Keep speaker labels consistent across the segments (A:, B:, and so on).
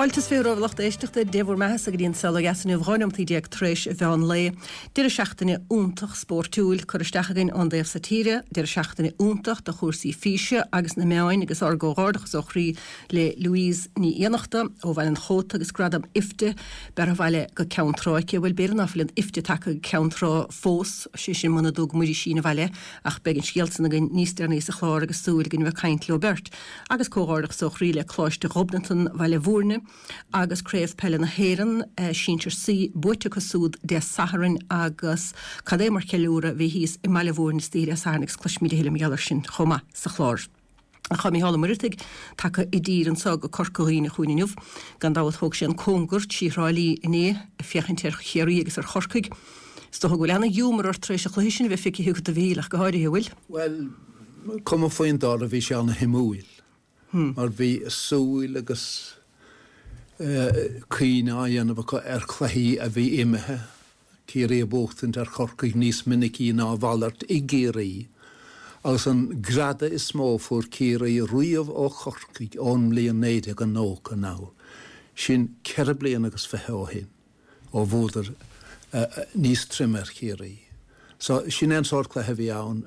A: Fáilte is romhaibh a lucht éisteachta, Dé bhur mbeathasa go dtí an Saol Ó Dheas inniu, 12 nóimeataí tar éis an mheán lae. Deireadh seachtaine iontach spóirtiúil curtha isteach againn ón dtaobh so tíre, deireadh seachtaine iontach do chúrsaí físe agus na meáin agus ár gcomhghairdeachas ó chroí le Louise Ní Fhiannachta ó Bhaile an Chóta agus gradam IFTA beartha abhaile go Ceann Trá aici. Bhuel b'fhéidir ná fuil an IFTA tagtha go Ceann Trá fós, sé sin muna dtug Muiris Sín abhaile ach beidh an scéal san againn níos deireanaí sa chlár agus súil againn a bheith ag caint leo beirt. Agus comhghairdeachas ó chroí le Coláiste Ghobnatan Bhaile Bhúirne agus Craobh Peile na hÉireann, Sinsir C, buaite acu súd Dé Sathairn agus cad é mar cheiliúradh a bhí thíos i mBaile Bhúirne istoíche Dé Sathairn agus cloisfimid a thuilleadh mar gheall air sin chomh maith sa chlár. Ach tá Mícheál Ó Muireadhaigh tagtha i dtír anso go Corca Dhuibhne chugainn inniu. Gan dabht thóg sé an cóngar trí Thrá Lí inné ag féachaint ar Chiarraí agus ar Chorcaigh. Is dócha go bhfuil ana-ghiúmar ort tar éis an chluiche sin a bheith feicthe agat a Mhíchíl ach go háirithe, an bhfuil?
B: Bhuel, cuma faoin dtoradh bhí sé ana-shuimiúil mar bhí súil agus cuimhne á dhéanamh acu ar chluichí a bhí imithe, Ciarraí ag buachtaint ar Chorcaigh níos minicí ná a mhalairt i gCiarraí agus an greadadh is mó a fuair Ciarraí riamh ó Chorcaigh ón mbliain 1990 anall, sin ceithre bliana agus fiche ó shin. ó bhuadar níos troime ar Chiarraí. So, sin é an sórt cluiche a bhí ann.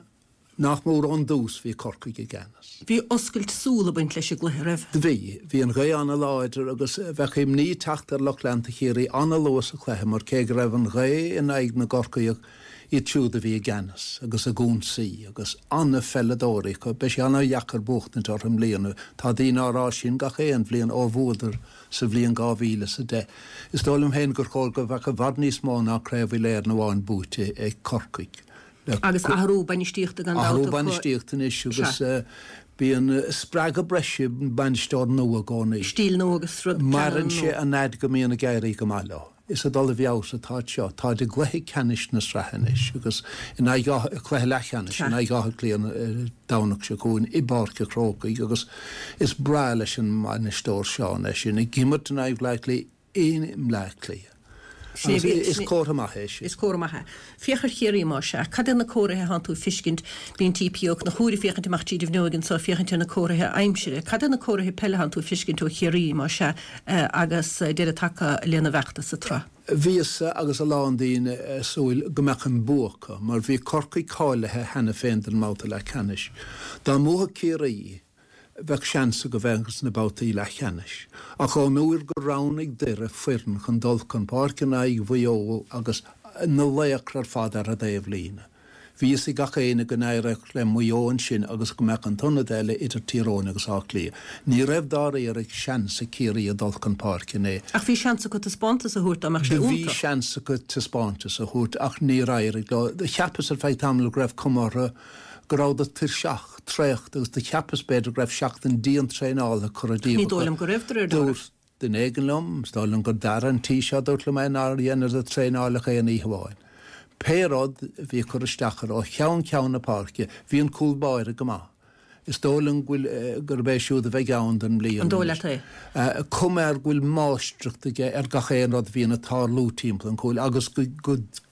B: Nach mór ón dtús bhí Corcaigh i gceannas.
A: Bhí oscailt súl ag baint leis an gcluiche, raibh?
B: Bhí. Bhí an ghaoth ana-láidir agus bheadh imní ag teacht ar lucht leanta Chiarraí ana-luath sa chluiche mar cé go raibh an ghaoth in aghaidh na gCorcaíoch, iad siúd a bhí i gceannas agus ag ionsaí agus ana-pheileadóirí acu. Beidh sé ana-dheacair buachtaint orthu i mbliana. Tá daoine á rá sin gach aon bhliain ó bhuadar sa bhliain 2010. Is dóigh liom féin gur chóir go bheadh i bhfad níos mó ná Craobh Uile-Éireann amháin buaite ag Corcaigh.
A: Agus athrú bainistíochta gan
B: dabht Athrú bainistíochta anois agus bíonn spreagadh breise ag bainisteoir nua i gcónaí.
A: Stíl nua agus rud
B: Maireann sé an fhad go mbíonn ag éirí go maith leo. Is ag dul i bhfeabhas atáid seo. Táid i gcluiche ceannais na sraithe anois agus in aghaidh, cluiche leathcheannais, in aghaidh Átha Cliath an Domhnach seo chugainn i bPáirc an Chrócaigh agus is breá leis an mbainisteoir Seán é sin, ag imirt in aghaidh Bhleá Cliath i mBleá Cliath. Agus is comhartha maith é
A: sin. Is comhartha maith é. Féach ar Chiarraí más ea. Cad iad na comharthaithe atánn tú ag fiscint? Bíonn T.P. Ó Conchúir ag féachaint amach tríd an bhfuinneoig anso ag féachaint ar na comharthaithe aimsire. Cad iad na comharthaithe peile atánn tú ag fiscint ó Chiarraí, más ea, agus deireadh tagtha lena bhfeachtas sa tsraith?
B: Bhíos-sa agus a lán daoine ag súil go mbeadh an bua acu, mar bhí Corcaigh cáilithe cheana féin don mbabhta leathcheannais. Dá mbuafadh Ciarraí, bheadh seans acu bheith sna babhtaí leathcheannais. Ach ón uair gur roghnaigh Doire foireann chun dul chun páirce in aghaidh Mhaigh Eo agus na laochra ar fad ar an dtaobhlíne, bhí fhios ag gach éinne go n-éireodh le Maigh Eo ansin agus go mbeadh an t-ionad eile idir Tír Eoghain agus Áth Cliath. Ní raibh dáiríre seans ag Ciarraí a dul chun páirce inné.
A: Ach bhí seans acu taispeántas a thabhairt dá mbeadh sé
B: iontach. Bhí seans acu taispeántas a thabhairt ach níor éirigh leo. Cheapas ar feadh tamaill go raibh cuma orthu go rabhadar tuirseach, traochta agus do cheapas b'fhéidir go raibh seachtain dian-traenála curtha
A: díobh acu. Ní dóigh liom go raibh, de réir
B: dealraimh. Dúirt duine éigin liom, is dóigh liom gur Dara an tí seo a dúirt liom é, nár dheineadar traenáil ach aon oíche amháin. Pé rud, bhí cur isteach orthu ó cheann ceann na páirce, bhí an cúl báire go maith. Is dóigh liom go bhfuil, gurb é siúd a bheidh ann don mbliain
A: An dóigh leat é?
B: Cuma air go bhfuil máistreacht aige ar gach aon rud a bhíonn ag tarlú timpeall an chúil agus go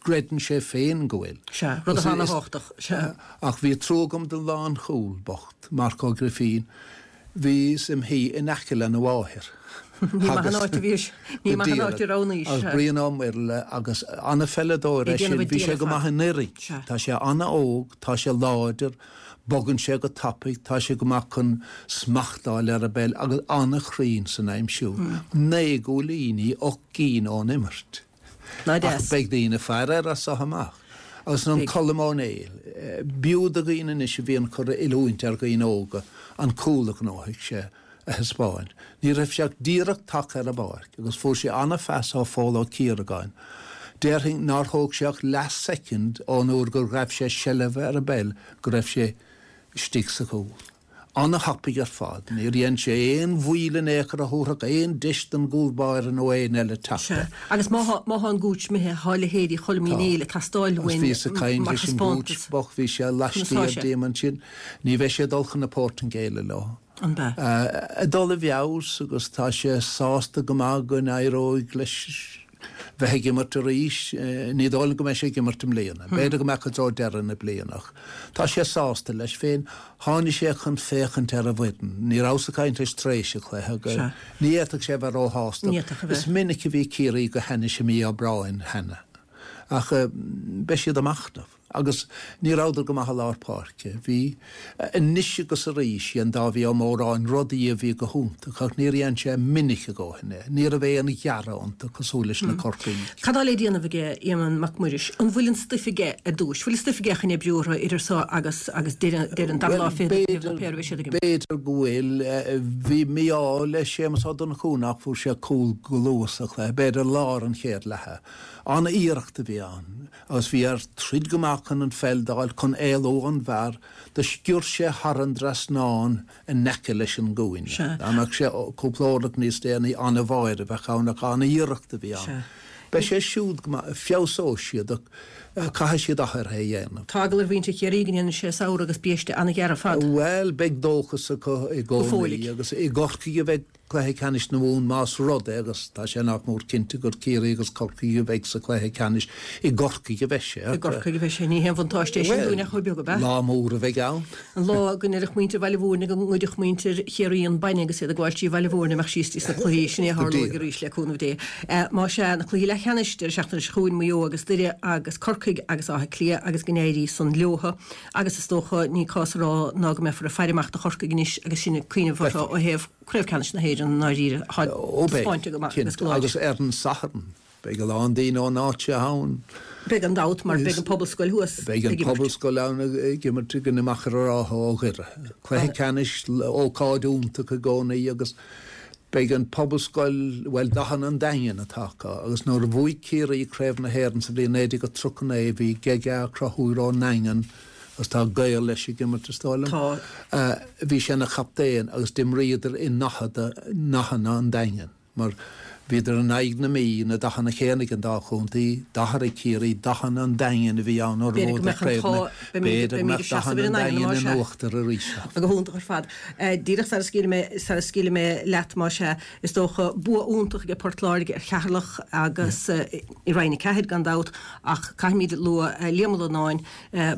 B: gcreideann sé féin go bhfuil.
A: Sea, rud atá ana-thábhachtach. Sea.
B: Ach bhí trua agam don lánchúl bocht, Marc Ó Grifín. Bhíos im shuí in aice lena mháthair.
A: Ní maith an áit a bhís, ní maith an áit a roghnaís.
B: Agus Brian Ó Muirthile agus ana-pheileadóir é sin, bhí sé go maith anuraidh. Tá sé ana-óg, tá sé láidir, bogann sé go tapaidh, tá sé go maith chun smacht a fháil ar an bpeil agus ana-chruinn san aimsiú. Naoi gcúilíní, 8 gcinn ón imirt.
A: Ná deas.
B: Ach beidh daoine ag faire air as so amach. Agus an Colm Ó Néill, b'fhiú do dhaoine anois a bhíonn ag cur oiliúint ar dhaoine óga an cúl a ghnóthaigh sé a thaispeáint. Ní raibh sé ach díreach tagtha ar an bpáirc agus fuair sé ana-phas ó Phól Ó Ciaragáin. Déarfainn nár thóg sé ach leath soicind ón uair gur ghabh sé seilbh ar an bpeil go raibh sé istigh sa chúl. Ana-thapaidh ar fad. Níor dhein sé aon mhoill in aon chor a thabharfadh aon deis don gcúl báire nó éinne eile teacht
A: air. Sea. Agus má thá, má thá an Gooch imithe, thá leithéidí Choilm Uí Néill ag teastáil
B: Tá. Agus
A: uainn
B: bhíos ag caint
A: mar
B: leis an Gooch
A: thaispeántas.
B: bocht, bhí sé
A: Conas tá
B: laistiar
A: sé?
B: díom ansin. Ní bheidh sé ag dul chun na Portaingéile leo.
A: An bea?
B: Ag dul i bhfeabhas agus tá sé sásta go maith go n-éireoidh leis. Bheith ag imirt arís, ní dóigh liom go mbeidh sé ag imirt i mbliana. B'fhéidir go mbeadh i dtreo deireadh na bliana ach tá sé sásta leis féin. Tháinig sé chun féachaint ar an bhfoireann. Ní rabhas ag caint leis tar éis an chluiche agus ní fhéadfadh sé a bheith róshásta. Is minic a bhí Ciarraí go hainnis i mí Aibreáin cheana ach beidh siad ag machnamh. Agus ní rabhadar go maith i lár páirce. Bhí, anois agus arís, dhein Dáibhí Ó Móráin rudaí a bhí go hiontach ach níor dhein sé minic a dhóthain é. Ní raibh aon ghearradh iontu cosúil leis na Corcaígh.
A: Cad tá le déanamh aige Éamonn Mac Muiris? An bhfuil an stuif aige ar dtúis? Bhfuil an stuif aige chun oibriú orthu idir so agus agus deireadh an dara lá fichead nó pé ar a bheidh siad ag imirt?
B: B'fhéidir go bhfuil. Bhí mí-ádh le Séamus Ó Donnchú nach bhfuair sé cúl go luath sa chluiche, b'fhéidir lár an chéad leatha. An-iarracht a bhí ann. Agus bhí air troid go maith chun an pheil d'fháil chun éalú ón bhfear, do sciorr sé thar an dtrasnán in aice leis an gcúinne. Dá mbeadh sé cúpla orlach níos déanaí, an-bháire a bheadh ann ach an-iarracht a bhí ann. Beidh sé siúd go maith, feabhsóidh siad ach caithfidh siad athruithe a dhéanamh.
A: Tá eagla ar mhuintir Chiarraí go ndéanfaidh sé samhradh agus biaiste an-ghearr ar fad.
B: Bhuel, beidh dóchas acu i gcónaí agus i gCorcaigh a bheidh Cluiche Ceannais na Mumhan más rud é, agus tá sé nach mór cinnte, gur Ciarraí agus Corcaigh a bheidh sa chluiche ceannais, i gCorcaigh a bheidh sé.
A: I gCorcaigh a bheidh sé. Ní haon bhuntáiste é sin dúinn ach chomh beag, ab ea?
B: Lá mór a bheidh ann.
A: An lá go ndéarfadh muintir Bhaile Mhúirne go ngoidfeadh muintir Chiarraí an bainne agus iad ag gabháil trí Bhaile Mhúirne amach síos dtí sna cluichí, sin é a tharlóidh arís le cúnamh Dé. Más ea, na cluichí leathcheannais, deireadh seachtaine seo chugainn, Maigh Eo agus Doire agus Corcaigh agus Áth Cliath agus go n-éirí san leotha. Agus is dócha, ní cás a rá ná go mbeifear ag faire amach do Chorcaigh anois agus sinn ag cuimhneamh orthu ó thaobh Craobh Ceannais na hÉireann i ndáiríre. Tá taispeáinte go maith agus go láidir.
B: Agus ar an Satharn, beidh a lán daoine ón áit seo ann.
A: Beidh gan dabht, mar beidh an Pobalscoil thuas
B: ag imirt. Beidh an Pobalscoil ann ag imirt i gcoinne Machaire Rátha ó Dhoire. Cluiche ceannais, ócáid iontach i gcónaí agus beidh an Pobalscoil, bhuel, dathanna an Daingin atá acu agus nuair a bhuaigh Ciarraí Craobh na hÉireann sa bhliain 1939 bhí Gega Conchúir ón nDaingean agus tá gaol leis ag imirt is dóigh liom. Tá. Bhí sé ina chaptaen agus d'imríodar i ndathanna an Daingin mar bhíodar in aghaidh na Mí, na dathanna céanna ag an dá chontae, d'athraigh Ciarraí dathanna an Daingin a bhí ann nuair a bhuadar Craobh na B'fhéidir go mbeadh dathanna an Daingin in uachtar arís.
A: Go hiontach ar fad. Díreach sara scaoilfidh mé, sara scaoilfidh mé leat más ea, is dócha, bua iontach aige Port Láirge ar Cheatharlach agus i Roinn 4 gan dabht ach caithfimid lua Liam Ó Lonáin,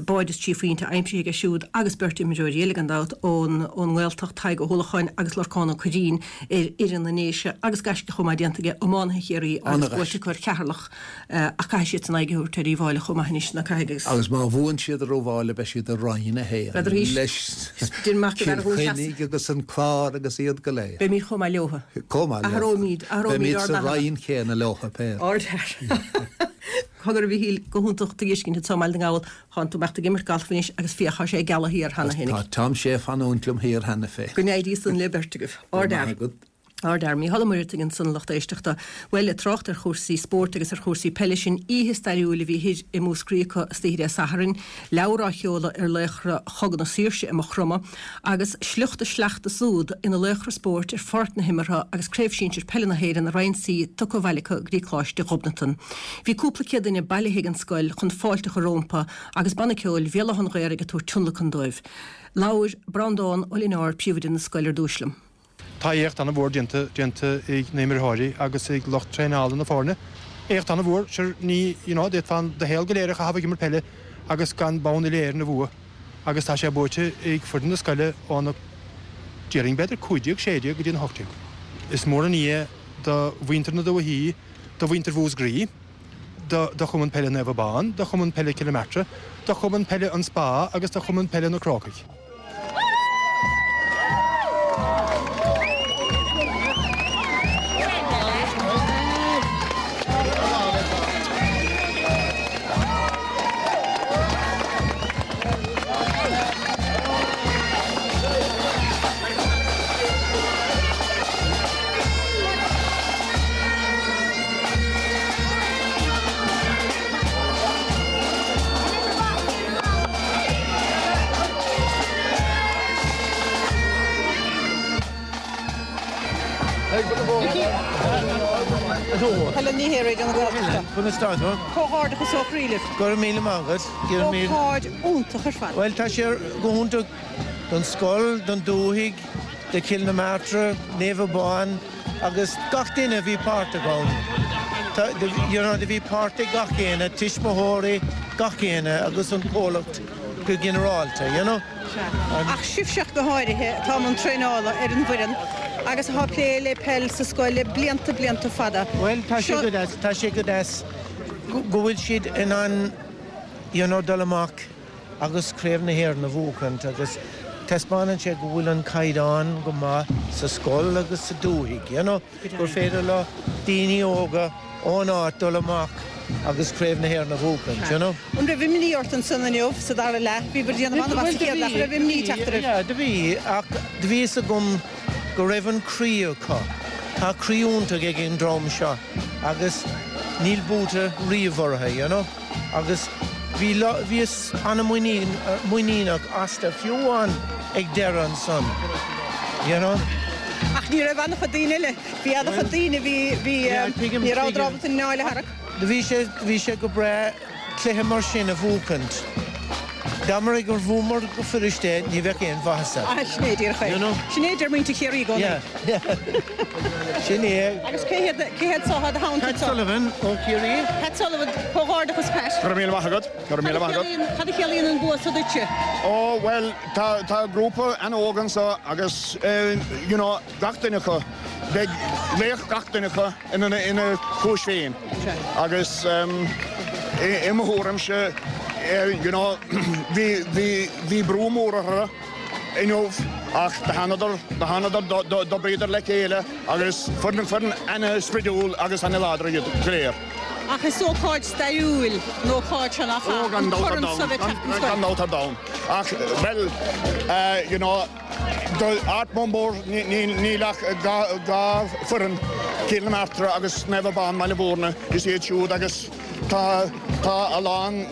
A: báide is 3 phointe aimsithe aige siúd agus beirt imreoirí eile gan dabht ón ón nGaeltacht, Tadhg Ó hUallacháin agus Lorcán Ó Cuirrín ar fhoireann na nDéise agus gaisce chomh maith déanta aige iománaithe Chiarraí agus buaite acu ar Cheatharlach ach caithfidh siadsan aghaidh a thabhairt ar Uíbh Fháilí chomh maith anois, ná caithfidh agus.
B: Agus má bhuann siad ar Uíbh Fháilí beidh siad i Roinn 1 leis Cill Chainnigh agus an Clár agus iad go léir.
A: Beimid chomh maith leotha.
B: Chomh maith leotha.
A: Athróimid, athróimid
B: ár
A: ndathanna.
B: Beimid sa roinn chéanna leotha,
A: pé. Ardfhear. Cogar a Mhichíl, go hiontach tú a fheiscint anso i mBaile na nGall. Tánn tú imeacht ag imirt galf anois agus féach, tá sé ag gealadh thiar cheana féin.
B: Tá Tom Shea ag fanúint liom thiar cheana féin.
A: Go n-éirí san le beirt agaibh. Ardfhear. Ardfhear. Mícheál Ó Muircheartaigh ansan a lucht éisteachta. Bhuel, ag trácht ar chúrsaí spóirt agus ar chúrsaí peile, sin oíche stairiúil a bhí thoir i Múscraí acu istoíche Dé Sathairn. Leabhar á sheoladh ar laochra Chogadh na Saoirse i Maigh Chromtha agus sliocht a sleachta súd ina laochra spóirt ar pháirc na himeartha agus Craobh Sinsir Peile na hÉireann i Roinn C tugtha abhaile acu go dtí Coláiste Ghobnatan. Bhí cúpla céad duine bailithe ag an scoil chun fáilte a chur rómpa agus Banna Ceoil Bhéal Átha an Ghaorthaidh ag tabhairt tionlacan dóibh. Labhair Breandán Ó Lionáird, Príomhoide na scoile ar dtúis liom.
C: Tá éacht an-mhór déanta déanta ag na himreoirí agus ag lucht traenála na foirne. Éacht an-mhór, sure ní, you know, d'fhéadfá do shaol go léir a chaitheamh ag imirt peile agus gan bonn uile-Éireann a bhua agus tá sé buaite ag foireann na scoile ó na, déarfainn b'fhéidir 15, 16 go dtí an 18. Is mór an ní é do mhuintir na dúichí, do mhuintir Mhúscraí, do do Chumann Peile Naomh Abán, do Chumann Peile Cill na Martra, do Chumann Peile An Spá agus do Chumann Peile na Crócaigh.
A: Helen Ní Shé, Raidió na Gaeltachta.
D: Conas tá tú?
A: Comhghairdeachas ó chroí libh.
D: Go raibh míle maith agat. Go raibh míle.
A: Ócáid iontach ar fad.
D: Bhuel, tá sé go hiontach don scoil, don dúthaigh, do Chill na Martra, Naomh Abán agus gach duine a bhí páirteach ann. Tá, you know, do bhí páirt ag gach éinne, tuismitheoirí, gach éinne agus an comhlacht go ginearálta, you know.
A: Sea. Ach sibhse ach go háirithe atá i mbun traenála ar an bhfoireann agus atá ag plé le peil sa scoil le blianta, blianta fada.
D: Bhuel, tá sé go deas, tá sé go deas go bhfuil siad in ann, you know, dul amach agus Craobh na hÉireann a bhuachaint agus taispeánann sé go bhfuil an caighdeán go maith sa scoil agus sa dúthaigh, you know, gur féidir le daoine óga ón áit dul amach agus Craobh na hÉireann a bhuachaint, you know.
A: An raibh imní ort ansan inniu sa dara leath? Bhíobhair ag déanamh an-mhaith sa chéad leath, an raibh imní ag teacht oraibh?
D: Yeah, do bhí, ach do bhí fhios agam go raibh an croí acu. Tá croí iontach ag an dream seo agus níl buaite riamh orthu, you know. Agus bhí, bhíos an-mhuiníneach astu, fiú amháin ag deireadh ansan, you know.
A: Ach ní raibh an-chuid daoine eile, bhí an-chuid daoine, bhí, bhí, ní rabhadar ábalta an anáil a tharrac.
D: Bhí sé, bhí sé go breá cluiche mar sin a bhuachaint. Dá mba gur bhuamar go fuirist é, ní bheadh aon mhaitheasa.
A: Ah, sin é díreach é. You know? Sin é a deir muintir Chiarraí i gcónaí.
D: Yeah, yeah. Sin é.
A: Agus cé hiad, cé hiad so atá i do theannta
D: Pat Sullivan ó Chiarraí.
A: Pat Sullivan, comhghairdeachas Pat.
E: Go raibh míle maith agat. Go raibh míle maith
A: agat. Cad a chiallaíonn an bua so duitse?
E: Ó, bhuel, tá, tá grúpa an-óg anso agus, you know, gach duine acu, beidh laoch gach duine acu ina, ina chúis féin. Agus i mo thuairimse, you know, bhí, bhí, bhí brú mór orthu inniu ach do thánadar, do thánadar, d'oibríodar le chéile agus foireann, foireann ana-spridiúil agus ana-láidir iad go léir.
A: Ach is ócáid stairiúil an ócáid seo nach ea? An corn so bheith teacht don scoil.
E: Gan dabht ar domhan. Ach, bhuel, you know, Do Ard Mór níl ach 2 foireann, Cill na Martra agus Naomh Abán, Baile Mhúirne, is iad siúd agus tá a lán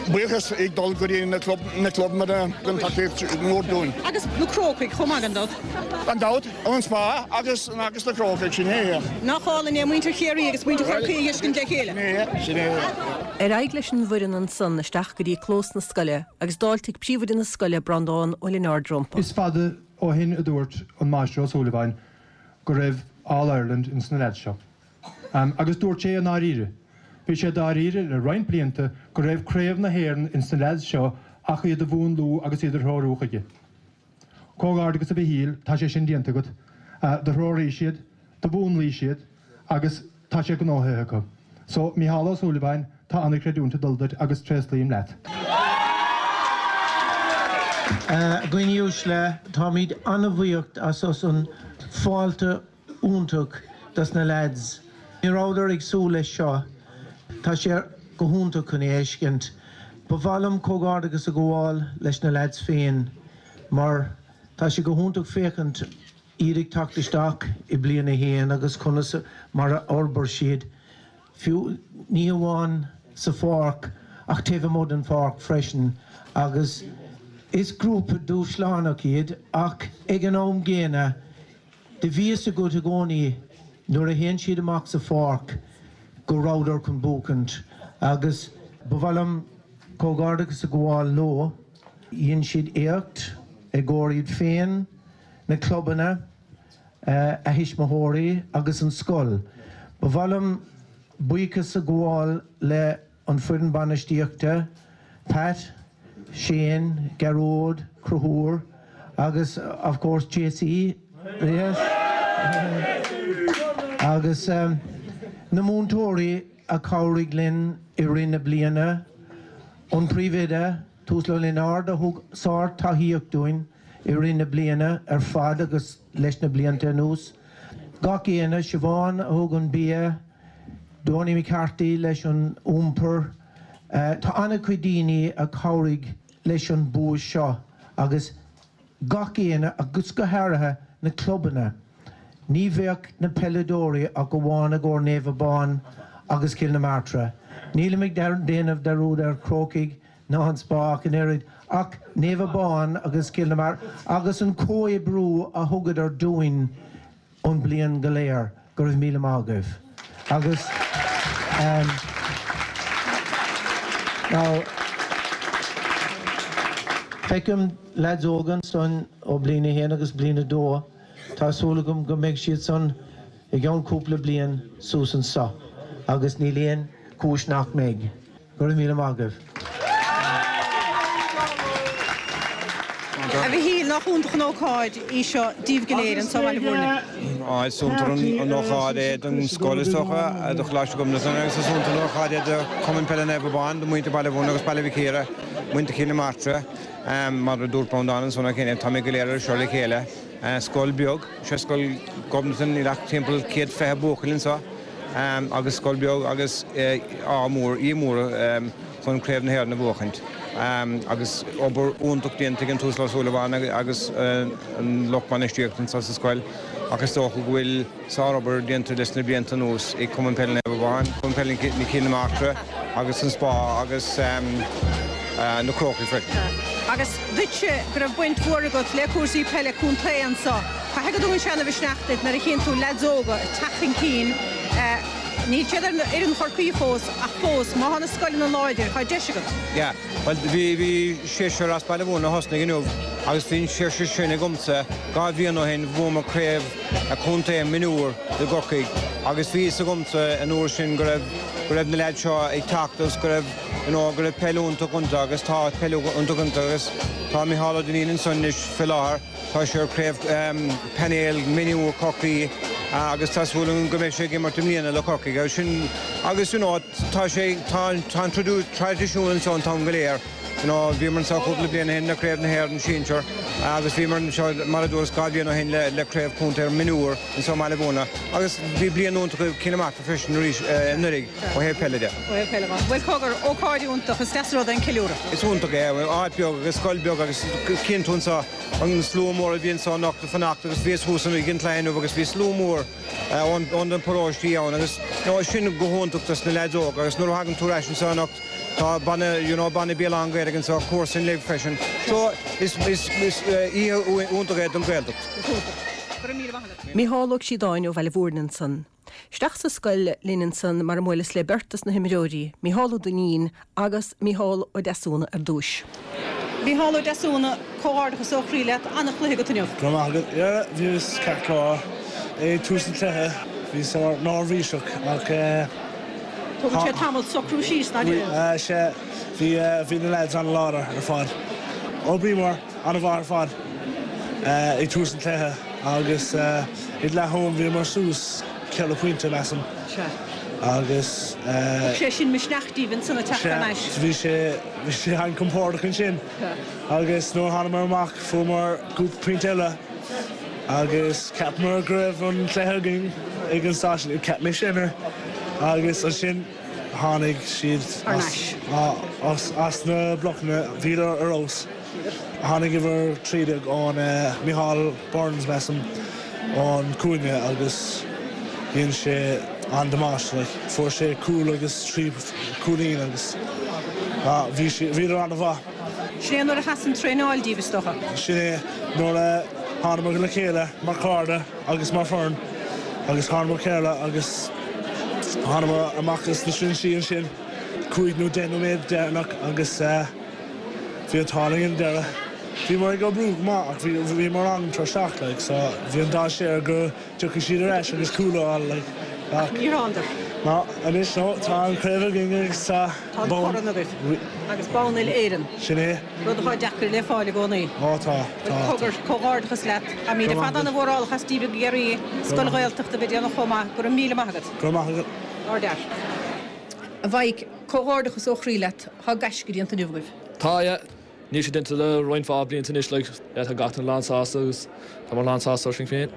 E: buíochas ag dul go dtí na clubanna a thugann tacaíocht mhór dúinn.
A: Agus na Crócaigh chomh maith gan dabht.
E: Gan dabht, an Spá agus na Crócaigh, sin é.
A: Nach álainn é muintir Chiarraí agus muintir Chorcaí a fheiscint le chéile.
E: Sin é, sin é.
A: Ar aghaidh leis an bhfoireann ansan isteach go dtí clós na scoile agus d'fháiltigh príomhoide na scoile, Breandán Ó Lionáird rompu.
C: Is fada ó shin a dúirt an Máistir Ó Súilleabháin go raibh All Ireland ins na leaids seo. Agus dúirt sé i ndáiríre. Bhí sé dáiríre le roinnt blianta go raibh Craobh na hÉireann ins na leaids seo ach iad a mhúnlú agus iad a threorú chuige. Comhghairdeachas a Mhichíl, tá sé sin déanta agat. Do threoraís iad, do mhúnlaís iad agus tá sé gnóthaithe acu. So, Mícheál Ó Súilleabháin, tá an-chreidiúint ag dul duit agus tréaslaím leat.
D: A dhaoine uaisle, táimid an-bhuíoch as as an fáilte iontach dos na lads. Ní rabhadar ag súil leis seo. Tá sé go hiontach chun é a fheiscint. Ba mhaith liom comhghairdeachas a ghabháil leis na lads féin mar tá sé go hiontach féachaint iad ag teacht isteach i bliain a haon agus conas mar a fhorbair siad, fiú ní hamháin sa pháirc ach taobh amuigh den pháirc freisin agus is grúpa dúshlánach iad ach ag an am gcéanna Do bhí fhios agat i gcónaí nuair a théann siad amach sa pháirc go rabhadar chun buachaint agus ba mhaith liom comhghairdeachas a ghabháil leo. Dhein siad éacht i gcomhair iad féin, na clubanna, a thuismitheoirí agus an scoil. Ba mhaith liom buíochas a ghabháil le. An foireann bainistíochta, Pat, Shane, Gearóid, Conchúr agus of course JC, yes, agus na múinteoirí a chabhraigh linn i rith na bliana, an Príomhoide, Tuathal Ó Lionáird a thug sár-tacaíocht dúinn i rith na bliana ar fad agus leis na blianta anuas. Gach éinne, Siobhán a thug an bia, Donie McCarthy leis an iompar. Tá an-chuid daoine a chabhraigh leis an bua seo agus gach éinne agus go háirithe na clubanna. Ní bheadh na peileadóirí ach amháin i gcomhair Naomh Abán agus Cill na Martra. Nílim ag déanamh dearúd ar Chrócaigh ná an Spá ach an oiread ach Naomh Abán agus Cill na Martra agus an comhoibriú a thugadar dúinn an bliain go léir. Go raibh míle maith agaibh. Agus now feicim leaids óga ansan ó bliain a haon agus bliain a dó. Tá súil agam go mbeidh siad san i gceann cúpla bliain suas anso. agus níl aon chúis nach mbeidh. Go raibh míle maith agaibh.
A: A Mhichíl, nach iontach an ócáid í seo daoibh go léir anseo i mBaile Bhúirne?
F: Á, is iontach an ócáid é don scoil is dócha, do Choláiste Ghobnatan agus is iontach an ócáid é do Chumann Peile Naomh Abán, do mhuintir Baile Bhúirne agus Baile Mhic Íre, muintir Chill na Martra. Mar a dúirt Breandán ansan cheana, táimid go léir anseo le chéile. Scoil beag, sé Scoil Ghobnatan, níl ach timpeall 120 buachaill anseo. Agus scoil beag agus ádh mór, ádh mór chun Craobh na hÉireann a bhuachaint. Agus obair iontach déanta ag an tUasal Ó Súilleabháin agus an lucht bainistíochta anseo sa scoil ach is dócha go bhfuil sárobair déanta leis na blianta anuas ag Cumann Peile Naomh Abán, Cumann Peile na Cille na Martra agus an Spá agus na Crócaigh freisin.
A: Agus duitse go raibh baint mhór agat le cúrsaí peile contae anseo, caithfidh go dtugann sé ana-mhisneach duit nuair a chíonn tú leaids óga ag teacht chun cinn. Níl siad ar fhoireann Chorcaí fós ach fós, má tá na scoileanna láidir, tá deis agat.
F: Yeah, bhuel bhí, bhí seisear as Baile Bhúirne a thosnaigh inniu agus bhí an seisear sin agamsa dhá bhliain ó shin, bhuamar craobh contae mionúr i gCorcaigh agus bhí fhios agamsa an uair sin go raibh, go raibh na leaids seo ag teacht agus go raibh, you know, go raibh peil iontach iontu agus tá peil iontach iontu agus tá Micheál Ó Duinnín ansan anois fé láthair. Tá sé ar craobh painéil mionúr Chorcaí agus tá súil agam go mbeidh sé ag imirt i mbliana le Corcaigh agus sin agus you know tá sé tá tá an traidisiún anseo an t-am go léir you know bhíomar anseo cúpla bliain ó shin le craobh na hÉireann sinsear agus bhíomar anseo mar a dúras dhá bhliain ó shin le le craobh contae mionúr anseo i mBaile Bhúirne agus bhí bliain iontach ag Cill na Martra freisin arís anuraidh ó thaobh peile de.
A: Ó thaobh peile de. Bhuel cogar, ócáid iontach, is deas an rud é an ceiliúradh.
F: Is iontach é, áit beag agus scoil beag agus cíonn tú anseo an slua mór a bhí anseo anocht ag fanacht agus bhíos thuas ag an cluiche inniu agus bhí slua mór ón na paróistí ann agus you know sin go hiontach dos na leaids óga agus nuair a thagann tú ar ais anseo anocht tá banna you know banna bia lán Gaeilge anseo comharsain libh freisin so is is is oíche iontach é don Ghaeltacht.
A: Is iontach. Go raibh míle maith agat. Micheál Ó Críodáin ó Bhaile Bhúirne ansan. Isteach sa scoil linn ansan mar a mbuaileas le beirt dos na himreoirí, Micheál Ó Duinnín agus Micheál Ó Deasúna ar dtúis. Micheál Ó Deasúna, comhghairdeachas ó chroí leat, an-chluiche agat inniu.
G: Go raibh maith agat. Yeah, bhíos ceart go leor. Ag tús an chluiche, bhíos neirbhíseach ach eh.
A: Tógann sé tamall socrú síos, ná
G: déarfainn? Sea, bhí, bhí na lads an-láidir ar fad. D'oibríomar an-mhaith ar fad ag tús an chluiche agus ag leath-am bhíomar suas ceithre phointe, measaim.
A: Sea.
G: Agus.
A: Thug sé sin misneach daoibh ansan ag teacht thar n-ais.
G: Sea, bhí sé, bhí sé an-compordach ansin. Agus nuair a thánamar amach fuaireamar cúpla pointe eile agus cheapamar go raibh an cluiche againn ag an staid sin, cheap mise anyway. Agus ansin tháinig siad as, as na blocanna, bhíodar ar fheabhas. Tháinig uimhir 13 ón Micheál Burns, measaim, ón cúinne agus dhein sé an-damáiste like. Fuair sé cúl agus trí cúilín agus bhí sé, bhíodar an-mhaith.
A: Sin é nuair a sheas an traenáil díbh, is dócha?
G: Sin é nuair a thánamar le chéile mar chairde agus mar foireann agus thánamar chéile agus thánamar amach as na trinsí ansin cúig nó deich nóiméad deireanach agus Bhí an t-ádh linn ag an deireadh. Bhíomar ag oibriú go maith ach bhí bhíomar an-tuirseach like so bhí an dainséar go dtiocfaidh siad ar ais agus cúl a fháil like
A: ach Níor thánadar.
G: No, anois no, tá an chraobh againn agus tá
A: Tá an corn agaibh agus bonn uile-Éireann.
G: Sin é.
A: Rud atá deacair le fáil i gcónaí.
G: Ó tá, tá.
A: Cogar, comhghairdeachas leat. Táimid ar fad an-mhórálach as díbh ag iarraidh scoil Ghaeltachta a bheith ag déanamh chomh maith. Go raibh míle maith agat.
G: Go raibh maith agat.
A: Ardfhear. A Mhaidhc, comhghairdeachas ó chroí leat, tá gaisce déanta inniu agaibh.
H: Tá, yeah. Níl sé déanta le roinnt mhaith blianta anois, like, yeah, tá gach duine lán-sásta agus táimid lán-sásta orainn féin.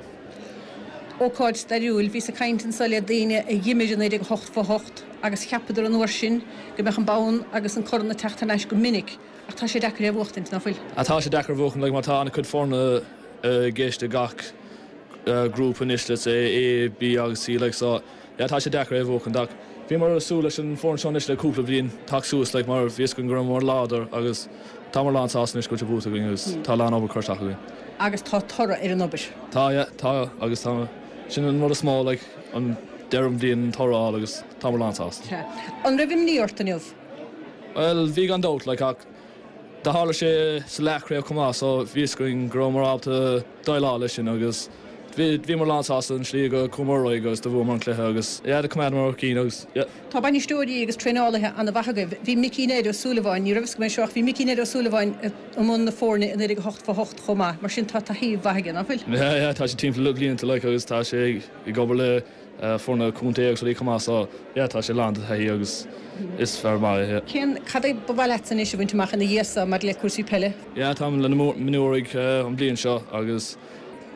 A: Ócáid stairiúil, bhíos ag caint anso le daoine a dh'imir i 1988 agus cheapadar an uair sin go mbeadh an bonn agus an corn ag teacht thar n-ais go minic ach tá sé deacair é a bhuachtaint, ná fuil?
H: Ah, tá sé deacair a bhuachan, like, mar tá an-chuid foirne i gceist i gach grúpa anois, let's say, A, B agus C, like, so, Yeah tá sé deacair é a bhuachan ach bhíomar ag súil leis an foireann seo anois le cúpla bliain teacht suas like mar bhí fhios againn go rabhamar láidir agus táimid lán sásta anois go bhfuil sé buaite againn agus tá a lán obair curtha isteach againn.
A: Agus tá toradh ar an obair.
H: Tá yeah tá agus tá sin an rud is mó like an deireadh an bhliain an toradh a fháil agus táimid lán sásta.
A: Sea. An raibh imní ort inniu?
H: Bhuel bhí gan dabht like ach do tharla sé sa leathchraobh chomh maith so bhí fhios againn go rabhamar ábalta déileáil leis sin agus. Bhíomar lán sásta an slí go chuamar ar aghaidh agus do bhuamar an cluiche agus yeah do choimeádamar ár gcinn agus yeah.
A: Tá bainisteoirí agus traenálaithe an-mhaith agaibh. Bhí Micí Ned Ó Súilleabháin, ní raibh fhios agam é seo ach bhí Micí Ned Ó Súilleabháin i mbun na foirne i 1988 chomh maith, mar sin tá taithí mhaith aige, nach bhfuil?
H: Yeah yeah tá sé timpeall le blianta like agus tá sé ag obair le foirne contae agus rudaí chomh maith so yeah tá sé lán de thaithí agus is fear maith é yeah.
A: Cén, cad é ba mhaith leatsa anois a bhaint amach ina dhiaidh so maidir le cúrsaí peile?
H: Yeah táim le na mionúraigh an bhliain seo agus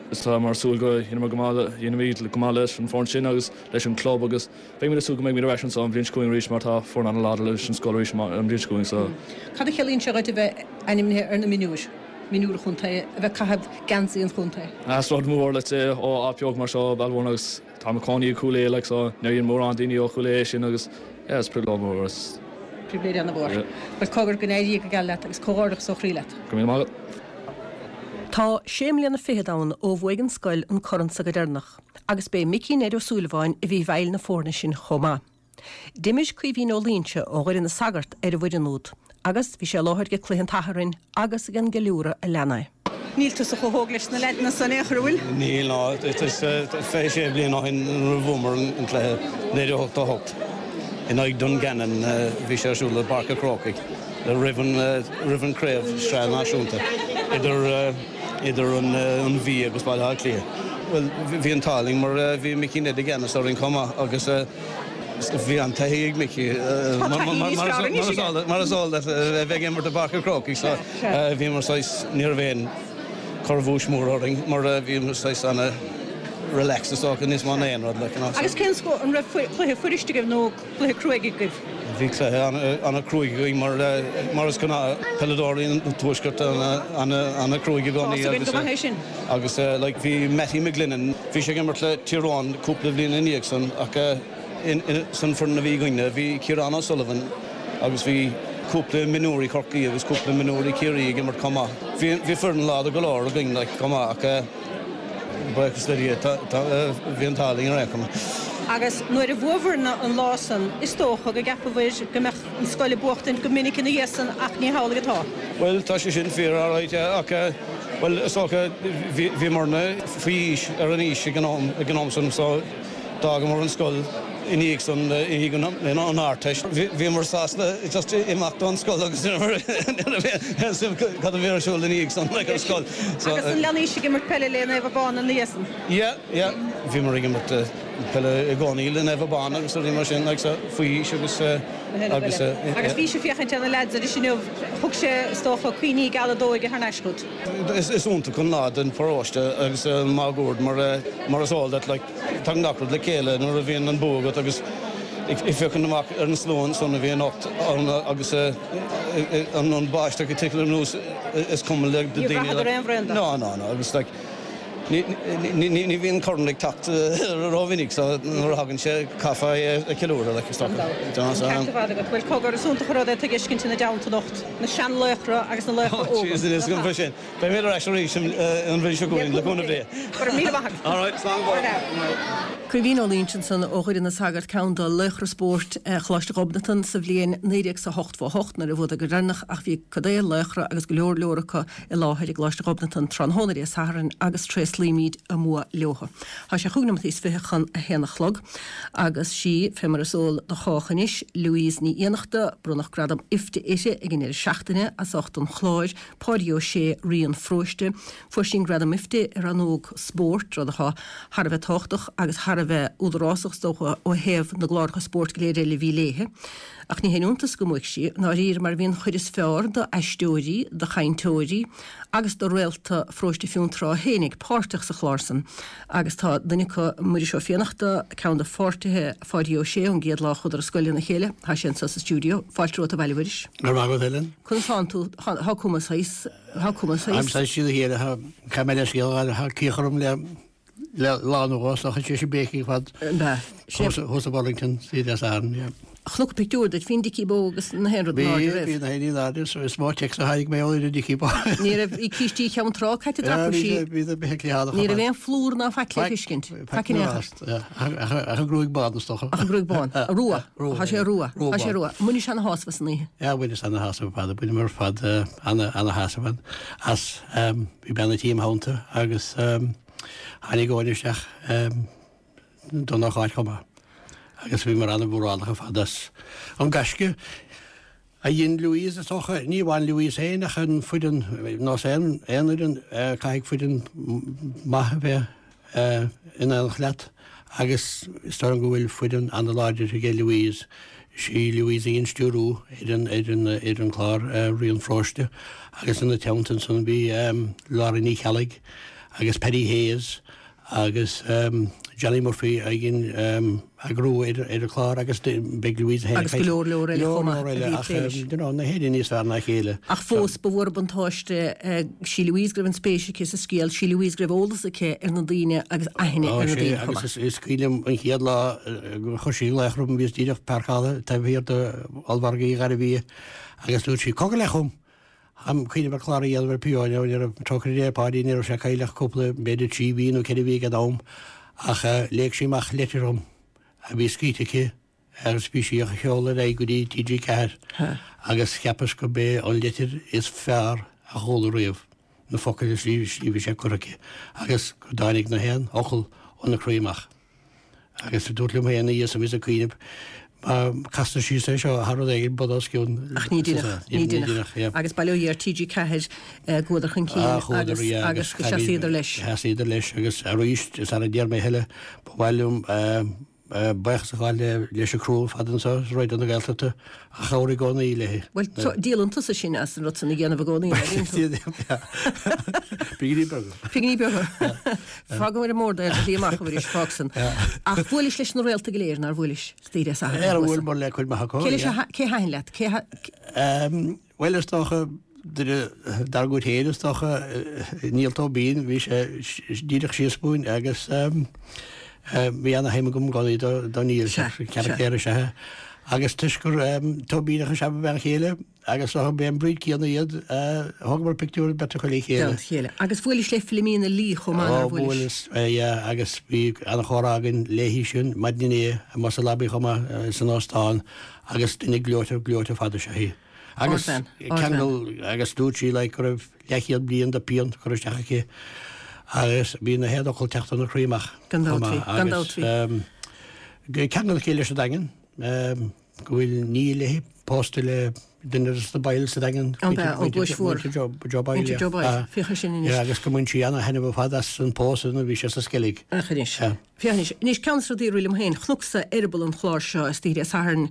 H: táim ag súil go dhéanfaimid go maith dhéanfaimid go maith leis an foireann sin agus leis an club agus Beimid ag súil go mbeimid ar ais anseo an bhliain seo chugainn arís mar tá foireann an-láidir leis an scoil arís an bhliain seo chugainn so.
A: Cad a chiallaíonn sé dhuit a bheith ainmnithe ar na mionúir, mionúir an chontae, a bheith ag caitheamh geansaí an chontae?
H: Is rud mór let's say ó áit beag mar seo Baile Mhúirne agus táim i cónaí i Cúil Aodha like so níor dhein mórán daoine ó Chúil Aodha é sin agus yeah is pribhléid mhór is.
A: Pribhléid ana-mhór. Yeah. Bhuel cogar go n-éirí go geal leat agus comhghairdeachas ó chroí leat.
H: Go raibh míle maith agat.
A: Tá sé mbliana fichead ann ó bhuaigh an scoil an corn sa go deireanach. Agus b'é Micí Ned Ó Súilleabháin a bhí i bhfeighil na foirne sin chomh maith. D'imir Caoimhín Ó Loingsigh ó Dhoire na Sagart ar an bhfoireann úd agus bhí sé i láthair ag cluiche an tSathairn agus ag an gceiliúradh a lean é. Níl tusa chomh hóg leis na leaideanna san in aon chor, an bhfuil?
I: Níl, ná is 26 bliain ó shin nuair a bhuamar an cluiche, 1988, in aghaidh Dungannon, bhí sé ar siúl i bPáirc an Chrócaigh roimh an roimh an craobh sraith náisiúnta idir idir an Mhí agus Baile Átha Cliath. Bhuel, bhí an t-ádh linn mar bhí Mickey Ned i gceannas orainn chomh maith agus bhí an-taithí ag Mickey mar is eol duit a bheith ag imirt i bPáirc an Chrócaigh so bhíomar saghas, ní raibh aon chorrabhuais mhór orainn mar bhíomar saghas ana relaxed is dócha níos mó ná aon rud like you know.
A: Agus cén scór, an raibh cluiche fuirist agaibh nó cluiche cruaidh agaibh?
I: Bhí cluiche an-chruaidh againn mar mar is gnáth peileadóirí an Tuaiscirt an-chruaidh i gcónaí
A: agus go maith é sin.
I: Agus like bhí Mattie McGlennon, bhí sé ag imirt le Tír Eoghain cúpla bhliain ina dhiaidh san ach san foireann a bhí againne bhí Ciarán O'Sullivan agus bhí cúpla mionúirí Chorcaí agus cúpla mionúirí Chiarraí ag imirt chomh maith. Bhí bhí foireann láidir go leor againn like chomh maith ach Buíochas le Dia, bhí an t-ádh linn ar aon chuma.
A: Agus nuair a bhuabhair an lá san, is dócha go gceapabhair go mbeadh an scoil ag buachtaint go minic ina dhiaidh san ach ní hamhlaidh atá.
I: Bhuel, tá sé sin fíor, alright, ach, bhuel, is dócha, bhíomarna faoi aois, ar an aois ag an am, ag an am san, so d'fhágamar an scoil i ndiaidh san, i ndiaidh an Ardteist. Bhíomar sásta just imeacht ón scoil agus ní raibh aon suim cad a bhí ar siúl i ndiaidh san like ar scoil.
A: So Agus an leanaís ag imirt peile le Naomh Abán ina dhiaidh san?
I: Yeah, yeah. Bhíomar ag imirt peile i gcónaí le Naomh Abán agus rudaí mar sin like so faoi aois agus
A: agus Agus bhís ag féachaint ar na lads arís inniu, thug sé is dócha cuimhní geala d'óige thar n-ais chugat.
I: Is iontach an lá don pharóiste agus máguaird mar mar is eol duit like Tagann gach rud le chéile nuair a bhíonn an bua agat agus ag féachaint amach ar an slua ansan a bhí anocht ann agus an báisteach ag titim anuas is cuma le
A: daoine. Níor bhraitheadar aon bhraon
I: de. No, no, no agus like ní bhíonn corn ag teacht rómhinic so nuair a thagann sé caithfear é a cheiliúradh like is dócha.
A: An ceart ar fad agat. Bhuel cogar, is iontach an rud é tú a fheiscint ina dteannta anocht, na seanlaochra agus na laochra óga.
I: Oh jeez, is go sin. Beidh mé ar ais arís an bhliain seo chugainn, le cúnamh Dé.
A: Go raibh míle maith agat.
I: All right, slán go fóill.
A: Caoimhín Ó Loingsigh ansan ó Dhoire na Sagart, ceann de laochra spóirt Choláiste Ghobnatan sa bhliain 1988 nuair a bhuadar go deireanach ach bhí cuid de laochra agus go leor leor acu i láthair i gColáiste Ghobnatan tráthnóna Dé Sathairn agus tréaslaímid a mbua leothu. Tá sé chúig nóimeataí is fiche chun a haon a chlog agus sí, fé mar is eol do chách anois, Louise Ní Fhiannachta, bronnadh gradam IFTA uirthi ag an deireadh seachtaine as ucht an chláir Páidí Ó Sé, Rí an Pharóiste. Fuair sí an gradam IFTA i rannóg spóirt, rud atá thar a bheith tábhachtach agus thar a bheith údarásach is dócha ó thaobh na gcláracha spóirt go léir eile a bhí léithe. Ach ní haon iontas go mbuaigh sí, i ndáiríre, mar bhí an chuid is fearr d'aisteoirí, de chainteoirí agus de réalta Pharóiste Fionntrá fhéinig páirteach sa chlár san. Agus tá duine acu, Muiris Ó Fiannachta, ceann de pháirtithe Pháidí Ó Sé ón gcéad lá a chuadar ar scoil lena chéile. Tá sé anseo sa stiúideo. Fáilte romhat abhaile, a Mhuiris.
J: Go raibh maith agat, Helen.
A: Conas tánn tú? Thá cuma saghas, thá cuma
J: saghas. Táim saghas trína chéile, thá, caithfidh mé leithscéal a ghabháil, thá cíoch orm le, le lá nó dhó, so chaith sé sin béicigh ar fad.
A: An b'ea?
J: Thuas, thuas i Burlington, oíche Dé Sathairn, yeah.
A: Chonac pictiúr duit, bhí an Dicky Bó agus na haon rud in airde
J: roimh. Bhí, bhí na haon ní in airde, so is mó téacs a tháinig mé ó ar an Dicky Bó.
A: Ní raibh, bhí cístí Cheann Trá caite
J: dreapadh sí. Bhí, bhí na feithiclí thall
A: Ní raibh aon phlúr ná faic le feiscint.
J: Faic in aon chor. Ach an gruaig bán is dócha.
A: Ach an gruaig bán. Rua. Tá sé rua. Tá sé rua. Bhainis ana-shásamh as an oíche.
J: Yeah, bhaineas ana-shásamh ar fad. Bhaineamar ar fad ana-shásamh as. Bhí bean a' tí im theannta agus. Tháinig Eoin isteach don ócáid chomh maith agus bhíomar an-mhórálach ar fad as an gaisce a dhein Louise is dócha, ní amháin Louise féin ach an foireann, nós aon fhoireann, caithfidh foireann maith a bheith in éineacht leat agus is dóigh liom go bhfuil foireann an-láidir aige Louise. Is í Louise a dhein stiúrú ar an ar an ar an chlár Rian Pharóiste agus ina teannta ansan bhí Laura Ní Cheallaigh agus Paddy Hayes agus Johnny Murphy a dhein eagrú ar an chlár agus beidh Louise féin
A: Agus go leor leor eile chomh maith a bhí ag plé leis.
J: You know, na héinne níos fearr ná a chéile.
A: Ach fós, ba mhór an buntáiste sí Louise go raibh an spéis aici sa scéal, sí Louise go raibh eolas aici ar na daoine agus aithne ar na daoine chomh maith.
J: Agus is cuimhin liom an chéad lá gur chuir sí glaoch orm, bhíos díreach páirceáilte taobh thiar de ollmhargadh Uí Ghairbhia agus dúirt sí, 'Cogar leat chugam! Táim ag cuimhneamh ar chlár a dhéanamh ar P.O. ní raibh, trócaire Dé ar Pháidí, ní raibh sé cailleach cúpla, b'fhéidir 3 mhí nó 4 mhí ag an am, ach léigh sí amach leitir dhom a bhí scríte aici agus bhí sí á sheoladh ar aghaidh go dtí TG4 agus cheapas gurb é an leitir is fearr a chuala riamh, na focail a slí bhí sé curtha aici agus go dtáinig na haon fhocal óna croí amach. Agus dúrt liom féin, a Dhia, is ag cuimhneamh, má castar síos é seo thar rud éigin, bud os cionn.
A: Ach ní deineadh, ní deineadh. Agus bail ó Dhia ar TG4 go bhfuadar chun cinn agus, agus go seasaíodar leis.
J: Sheasaíodar leis agus arís, is ara déarfaidh mé a thuilleadh, ba mhaith liom buíochas a ghabháil leis an criú ar fad anseo i Raidió na Gaeltachta a chabhraigh i gcónaí léi.
A: Bhuel, díolann tusa sin as an rud san a dhéanamh i gcónaí, an bhíonn tú?
J: Pinginí beaga.
A: Pinginí beaga. Fágaim ar an mbord é, bhí amach arís, fág san. Ach bhuailis leis na réalta go léir, nár bhuailis? Is Dé
J: Sathairn. Ar bhuail mé le cuid maith acu.
A: Cé leis a, cé thaitin leat? Cé
J: tha. Bhuel, is dócha, duine dár gcuid féin, is dócha, Niall Tóibín, bhí sé díreach síos uainn agus bhí ana-shuim agam i gcónaí do Niall, carachtar is ea é. Agus toisc gur Tóibíneach is ea mo bhean chéile agus ba é an breed céanna iad, thógamar pictiúr beirt acu le
A: chéile. Le chéile. Agus bhuailis le Philomena Lee chomh maith, nár
J: bhuailis? Ó, bhuaileas, yeah, agus bhí ana-chomhrá againn léi sin maidin inné amuigh sa lobby chomh maith san óstán agus duine gleoite, gleoite fada is ea í. Agus ceangal, agus dúirt sí like go raibh leathchéad bliain de pian curtha isteach aici agus bhí na haon fhocal ag teacht óna croí amach.
A: Gan dabht bhí, gan dabht
J: bhí. Agus ceangal aici leis an Daingean, go bhfuil nia léi pósta le duine de na baill sa Daingean.
A: An ea, ó Gluais Mhór.
J: Joe Boyle.
A: Joe Boyle, féach air sin anois.
J: Agus go mbain sí ana-thaitneamh ar fad as an pósadh nuair a bhí sé sa Sceilg.
A: Féach anois. Féach anois. Anois, ceann de na rudaí a rith liom féin, chonacsa eireaball an chláir seo istoíche Dé Sathairn,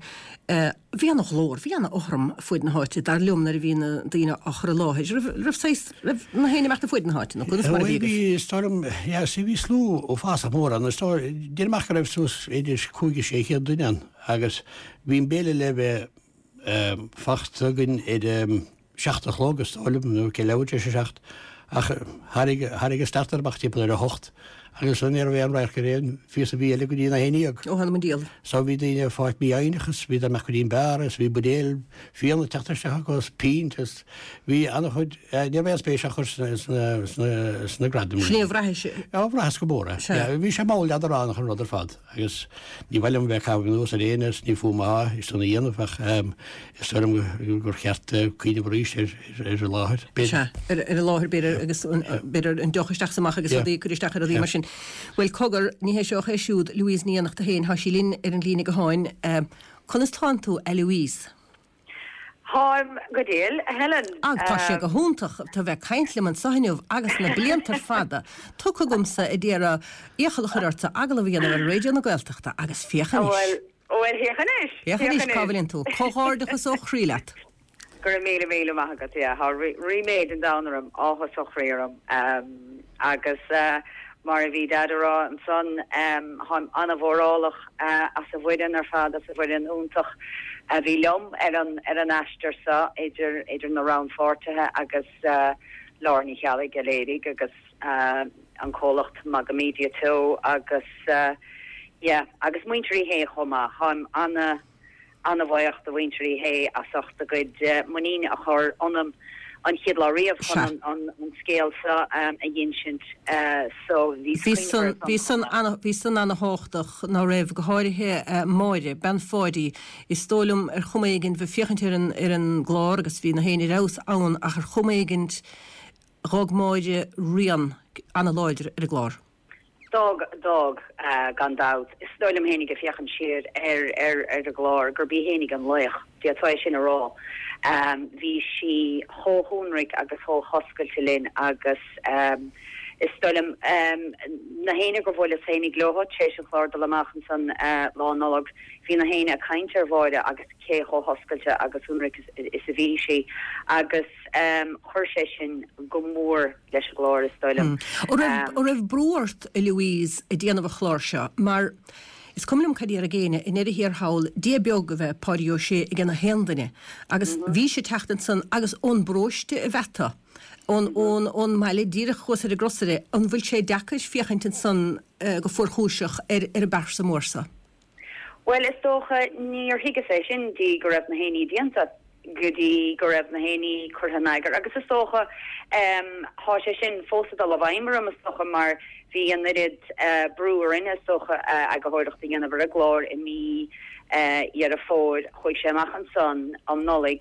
A: bhí ana-ghlór, bhí ana-fhothram fuaid na háite, dar liom, nuair a bhí na daoine á chur i láthair. Raibh, raibh saghas, raibh na héinne imeacht fuaid na háite, nó conas mar a bhí
J: agaibh? Bhí, is dóigh liom, yeah, see, bhí slua uafásach mór ann, is dóigh, déanaim amach go raibh suas idir 5 is 600 duine ann agus bhí an béile le bheith fachta againn ar a 7 a chlog, is dóigh liom, nó leathuair tar éis a 7, ach tháinig, tháinig an starter amach timpeall ar a 8 agus ní raibh aon radharc ar aon phíosa bídh eile go dtí an 11.
A: Ó, th'anam 'on diabhal.
J: So bhí daoine ag fáilt mífhoighneach is bhíodar amach go dtí an beár is bhí buidéil fíona ag teacht isteach acu is pínt is bhí an-chuid, ní raibh aon spéis á chur sna, sna, sna, sna gradaim.
A: Sin é a bhraithis.
J: Á, bhraitheas go mór é. Sea. Bhí sé mall leadránach an rud ar fad. Agus ní mhaith liom bheith ag caitheamh anuas ar éinne is ní fúm atá é san a dhéanamh ach is dóigh liom gur cheart cuimhneamh arís ar an láthair,
A: b'fhéidir. Sea, ar an láthair b'fhéidir agus b'fhéidir an deoch isteach is amach agus rudaí ag cur isteach ar rudaí mar sin. Bhuel, cogar, ní hé seo ach é siúd, Louise Ní Fhiannachta féin, tá sí linn ar an líne gutháin. Conas tánn tú, a Louise?
K: Táim go diail, a Helen.
A: Ag, tá sé go hiontach tú a bheith ag caint liom anso inniu agus na blianta fada tugtha agamsa a d'iarraidh iachall a chur ortsa agallamh a dhéanamh ar Raidió na Gaeltachta agus féach
K: anois. Bhuel, bhuel, féach anois!
A: Féach anois cá bhfuileann tú. Comhghairdeachas ó chroí leat.
K: Go raibh míle míle maith agat, yeah, tá ríméad an domhain orm, áthas ó chroí orm. Agus mar a bhí Daid a rá ansan, táim an-mhórálach as an bhfoireann ar fad, as an bhfoireann iontach a bhí liom ar an ar an aistear seo, idir idir na rannpháirtithe agus Lára Ní Cheallaigh a léirigh agus an comhlacht Magamedia Teo agus yeah agus muintir Uí Shé chomh maith. Táim ana. Ana-bhuíoch do mhuintir Uí Shé as ucht a gcuid muiníne a chur ionam an chéad lá riamh chun an scéal seo a dh'insint. So
A: bhí san bhí san bhí san ana-thábhachtach ná raibh, go háirithe Máire, bean Pháidí. Is dóigh liom ar chuma éigin bheith féachaint ar an ar an gclár agus bhí na héinne ar fheabhas ann ach ar chuma éigin dh'fhág Máire rian ana-láidir ar an gclár.
K: D'fhág, d'fhág, gan dabht. Is dóigh liom fhéinig ag féachaint siar ar, ar, ar an gclár gurb í fhéinig an laoch, d'fhéadfá é sin a rá. Bhí sí chomh hionraic agus chomh hoscailte linn agus is dóigh liom na héinne gur bhuaileas fhéinig leo tar éis an chlár dul amach ansan Lá Nollag, bhí na héinne ag caint ar Mháire agus cé chomh hoscailte agus ionraic is a bhí sí agus chuir sé sin go mór leis an gclár, is dóigh liom.
A: An raibh brú ort, a Louise, ag déanamh an chláir seo? Mar is cuma liom cad a déarfadh éinne, i ndeireadh thiar thall, Dia beag a bheith Páidí Ó Sé ag na haon duine. Agus bhí sé ag teacht ansan agus ón bparóiste ab ea tú, ón, ón, ón mbaile díreach thuas ar an gcrosaire, an bhfuil sé deacair féachaint ansan go fuarchúiseach ar, ar an bpearsa mór so?
K: Bhuel, is dócha, níor thuigeas é sin dtí go raibh na héinní déanta, go dtí go raibh na héinní curtha in eagar agus is dócha, thá sé sin fós ag dul i bhfeidhm orm, is dócha, mar bhí an oiread brú orainn, is dócha, eagarthóireacht a dhéanamh ar an gclár i mí Dheireadh Fómhair, chuaigh sé amach ansan um Nollaig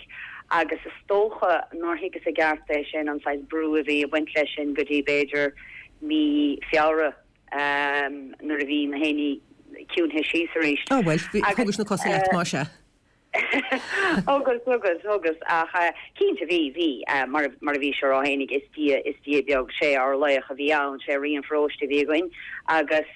K: agus is dócha nár thuigeas i gceart é sin, an saghas brú a bhí ag baint leis sin go dtí b'fhéidir mí Feabhra. nuair a bhí na héinní ciúinthe síos arís.
A: Á bhuel, thugais na cosa leat, más ea.
K: Thugas, thugas, thugas, ach cinnte bhí, bhí, mar a bhís a rá fhéinig, is dia, is dia beag, sé ár laoch a bhí ann, sé rí an pharóiste a bhí againn agus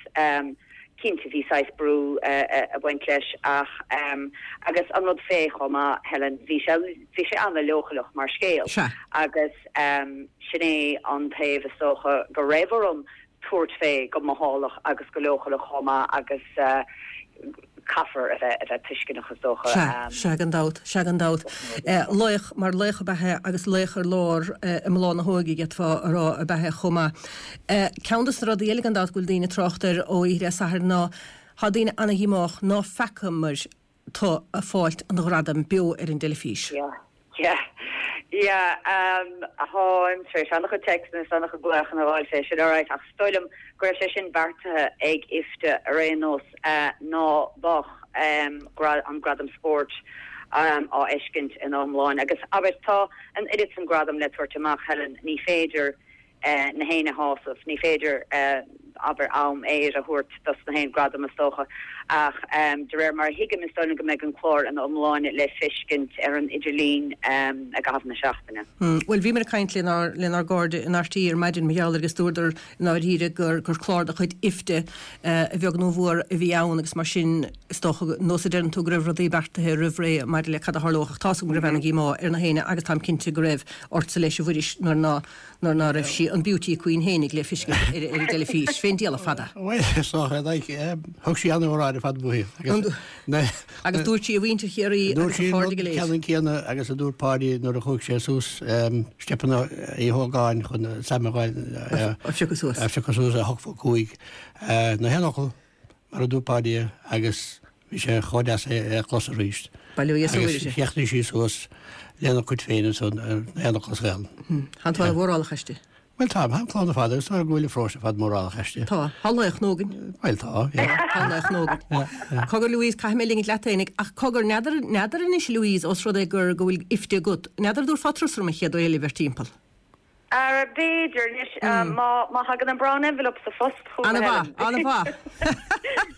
K: cinnte bhí saghas brú ag baint leis ach, agus an rud fé chomh maith, Helen, bhí sé, bhí sé an-leochaileach mar scéal agus sin é an taobh is dócha go raibh orm tabhairt fé go mothálach agus go leochaileach chomh maith agus caithfear a bheith a bheith tuisceanach is dócha.
A: Sea, sea gan dabht, sea gan dabht. Laoch, mar laoch ab ea é agus laoch ar lár i mbláth na hóige d'fhéadfá a rá ab ea é chomh maith. Ceann dos na rudaí eile gan dabht go bhfuil daoine ag trácht air ó oíche Dé Sathairn ná tá daoine ana-dhíomách ná feacamar tú ag fáilt an ghradaim beo ar an dteilifís.
K: Yeah, yeah, yeah, táim tar éis an-chuid téacsanna is an-chuid glaochanna a fháil fé sin, alright, ach is dóigh liom go raibh sé sin beartaithe ag IFTA ar aon nós, ná beadh an gradam spóirt á fheiscint ina iomláine. Agus abair, tá an oiread san gradam le tabhairt amach, Helen, ní féidir na héinne a shásamh. Ní féidir, abair, am aeir a thabhairt dos na haon gradam, is dócha. Ach de réir mar a thuigim, is dóigh liom go mbeidh an clár ina iomláine le feiscint ar an idirlíon i gcaitheamh na seachtaine.
A: Bhuel, bhíomar ag caint lenár lenár gcairde in RTÉ ar maidin mar gheall air agus dúradar i ndáiríre gur gur clár de chuid IFTA a bheag nó a mhór a bhí ann agus mar sin is dócha, nós a deireann tú go raibh rudaí beartaithe roimh ré maidir le cad a tharlódh ach tá's agam go raibh ana-dhíomá ar na héinne agus táim cinnte go raibh ortsa leis a Mhuiris nuair ná nuair ná raibh sí, an Beauty Queen fhéinig le feiscint ar an dteilifís, fén diabhal fada.
J: Bhuel, is dócha, like, thug sí an-óráid ar fad uaithi.
A: Agus, agus dúirt sí a mhuintir Chiarraí
J: agus a chairde go léir. Dúirt sí an rud ceannann céanna agus a dúirt Páidí nuair a chuaigh sé suas steipeanna Uí Hógáin chun Sam a
A: phiocadh suas.
J: A phiocadh suas a 8 fá 5. Na haon fhocal. Mar a dúirt Páidí é agus bhí sé chomh deas é a chlos arís.
A: Bail ó Dhia is a
J: Mhuire. Agus chríochnaigh sí suas lena cuid féin ansan ar na haon fhocal as Gaelainn.
A: Tánn tú ana-mhórálach aisti.
J: Bhuel tá, tá an clann ar fad agus tá go bhfuil an pharóiste ar fad mórálach aisti.
A: Tá. Tá laoch nua againn.
J: Bhuel tá, yeah.
A: Tá laoch nua againn. Yeah, yeah. Cogar Louise, caithfidh mé ligint leat fhéinig, ach cogar, n'fheadar, n'fheadar anois Louise, ós rud é gur, go bhfuil IFTA agat, n'fheadar an dtabharfá turas orm an chéad uair eile bheir timpeall?
K: Ara, b'fhéidir, anois, má thagann an brown envelope sa phost chugam, a
A: Helen. Ana-mhaith, ana-mhaith.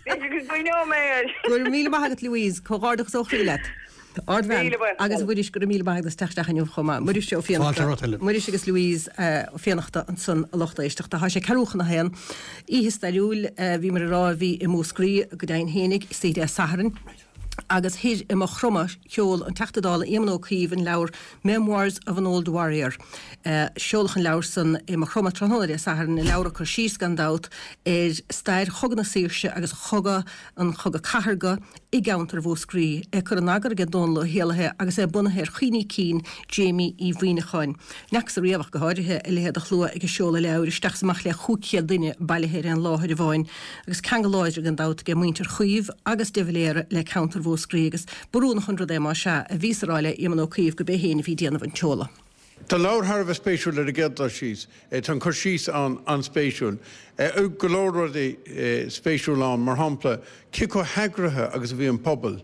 K: B'fhéidir go gcuimhneoidh mé air.
A: Go raibh míle maith agat, Louise. Comhghairdeachas ó chroí leat. Ardbhean.
K: Míle buíochas.
A: Agus a Mhuiris, go raibh míle maith agat as teacht isteach inniu chomh maith. Muiris Ó
J: Fiannachta. Fáilte romhat, Helen.
A: Muiris agus Louise Ó Fiannachta ansan, a lucht éisteachta. Tá sé ceathrú chun a haon. Oíche stairiúil, bhíomar ag rá, a bhí i Múscraí, go deimhin fhéinig, istoíche Dé Sathairn. Agus thoir i Maigh Chromtha, sheol an Teachta Dála Éamon Ó Cuív an leabhar Memoirs of an Old Warrior. Seoladh an leabhar san i Maigh Chromtha tráthnóna Dé Sathairn, leabhar ag cur síos, gan dabht, ar stair Chogadh na Saoirse agus chogadh an Chogadh Cathartha i gceantar Mhúscraí. É curtha in eagar aige Dónal Ó hÉallaithe agus é bunaithe ar chuimhní cinn Jamie Uí Mhuimhneacháin. N'fheacthas ariamh ach go háirithe a leithéid de shlua ag an seoladh leabhair, isteach is amach le 500 duine bailithe ar aon láthair amháin. Agus ceangal láidir gan dabht aige muintir Chuív agus de Valera le ceantar Mhúscraí agus b'oiriúnach an rud é más ea, a bhíos a rá le Éamon Ó Cuív go b'é féin a bhí ag déanamh an tseoladh.
L: Tá an leabhar thar a bheith spéisiúil ar an gcéad dul síos. Tá an cur síos ann an-spéisiúil. Go leor rudaí spéisiúla ann, mar shampla, cé chomh heagraithe agus a bhí an pobal,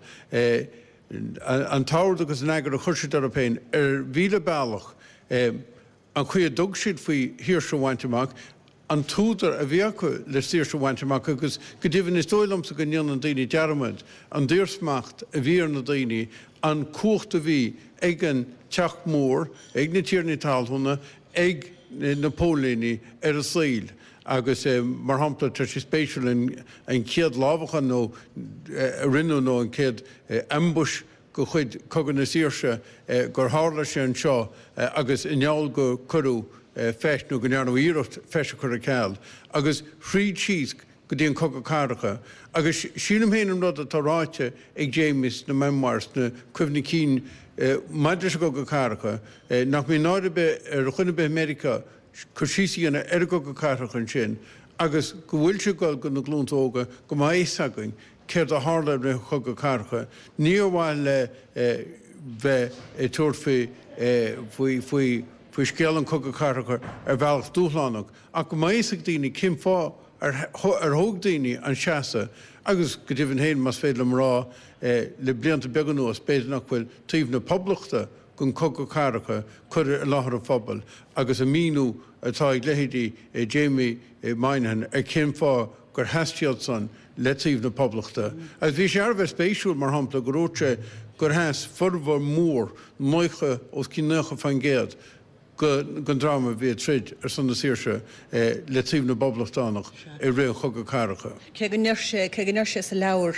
L: an t-ord agus an eagar a chuir siad orthu féin ar mhíle bealach, an chaoi a dtug siad faoi shaoirse a bhaint amach. an t-údar a bhí acu le saoirse a bhaint amach agus go deimhin is dóigh liomsa go ndéanann daoine dearmad an daorsmacht a bhí ar na daoine, an cumhacht a bhí ag an Teach Mór, ag na tiarnaí talmhúna, ag na póilíní ar a saoil agus mar shampla tá sé spéisiúil an chéad lámhachán nó a rinneadh nó an chéad ambush de chuid Cogadh na Saoirse gur tharla sé anseo agus i ngeall go cuireadh feis nó go ndearnadh iarracht feis a chur ar ceal agus thríd síos go dtí an Cogadh Cathartha. Agus sílim féin an rud atá ráite ag Jamie sna memoirs, sna cuimhní cinn maidir leis an gCogadh Cathartha, nach mbíonn náire ar bith ar dhuine ar bith i Meiriceá cur síos a dhéanamh ar an gCogadh Cathartha ansin agus go bhfuil sé ag dul go na glúnta óga go mbeidh a fhios againn céard a tharla i rith an Chogaidh Cathartha. Ní ar mhaithe le bheith ag tabhairt faoi faoi faoi scéal an Chogaidh Cathartha ar bhealach dúshlánach, ach go mbeidh a fhios ag daoine cén fáth ar ar thóg daoine an seasamh agus go deimhin féin, más féidir liom a rá, le blianta beaga anuas, b'fhéidir nach bhfuil taobh na Poblachta den Chogadh Cathartha curtha i láthair an phobail agus an míniú atá ag leithéidí Jamie Moynihan ar cén fáth gur sheas siadsan le taobh na Poblachta. Agus bhí sé thar a bheith spéisiúil, mar shampla, gur dhúirt sé gur sheas formhór mór, 90, os cionn 90%, den dream a bhí ag troid ar son na saoirse le taobh na bPoblachtánach i rith an Chogaidh Cathartha.
A: Cé go ndeir sé, cé go ndeir sé sa leabhar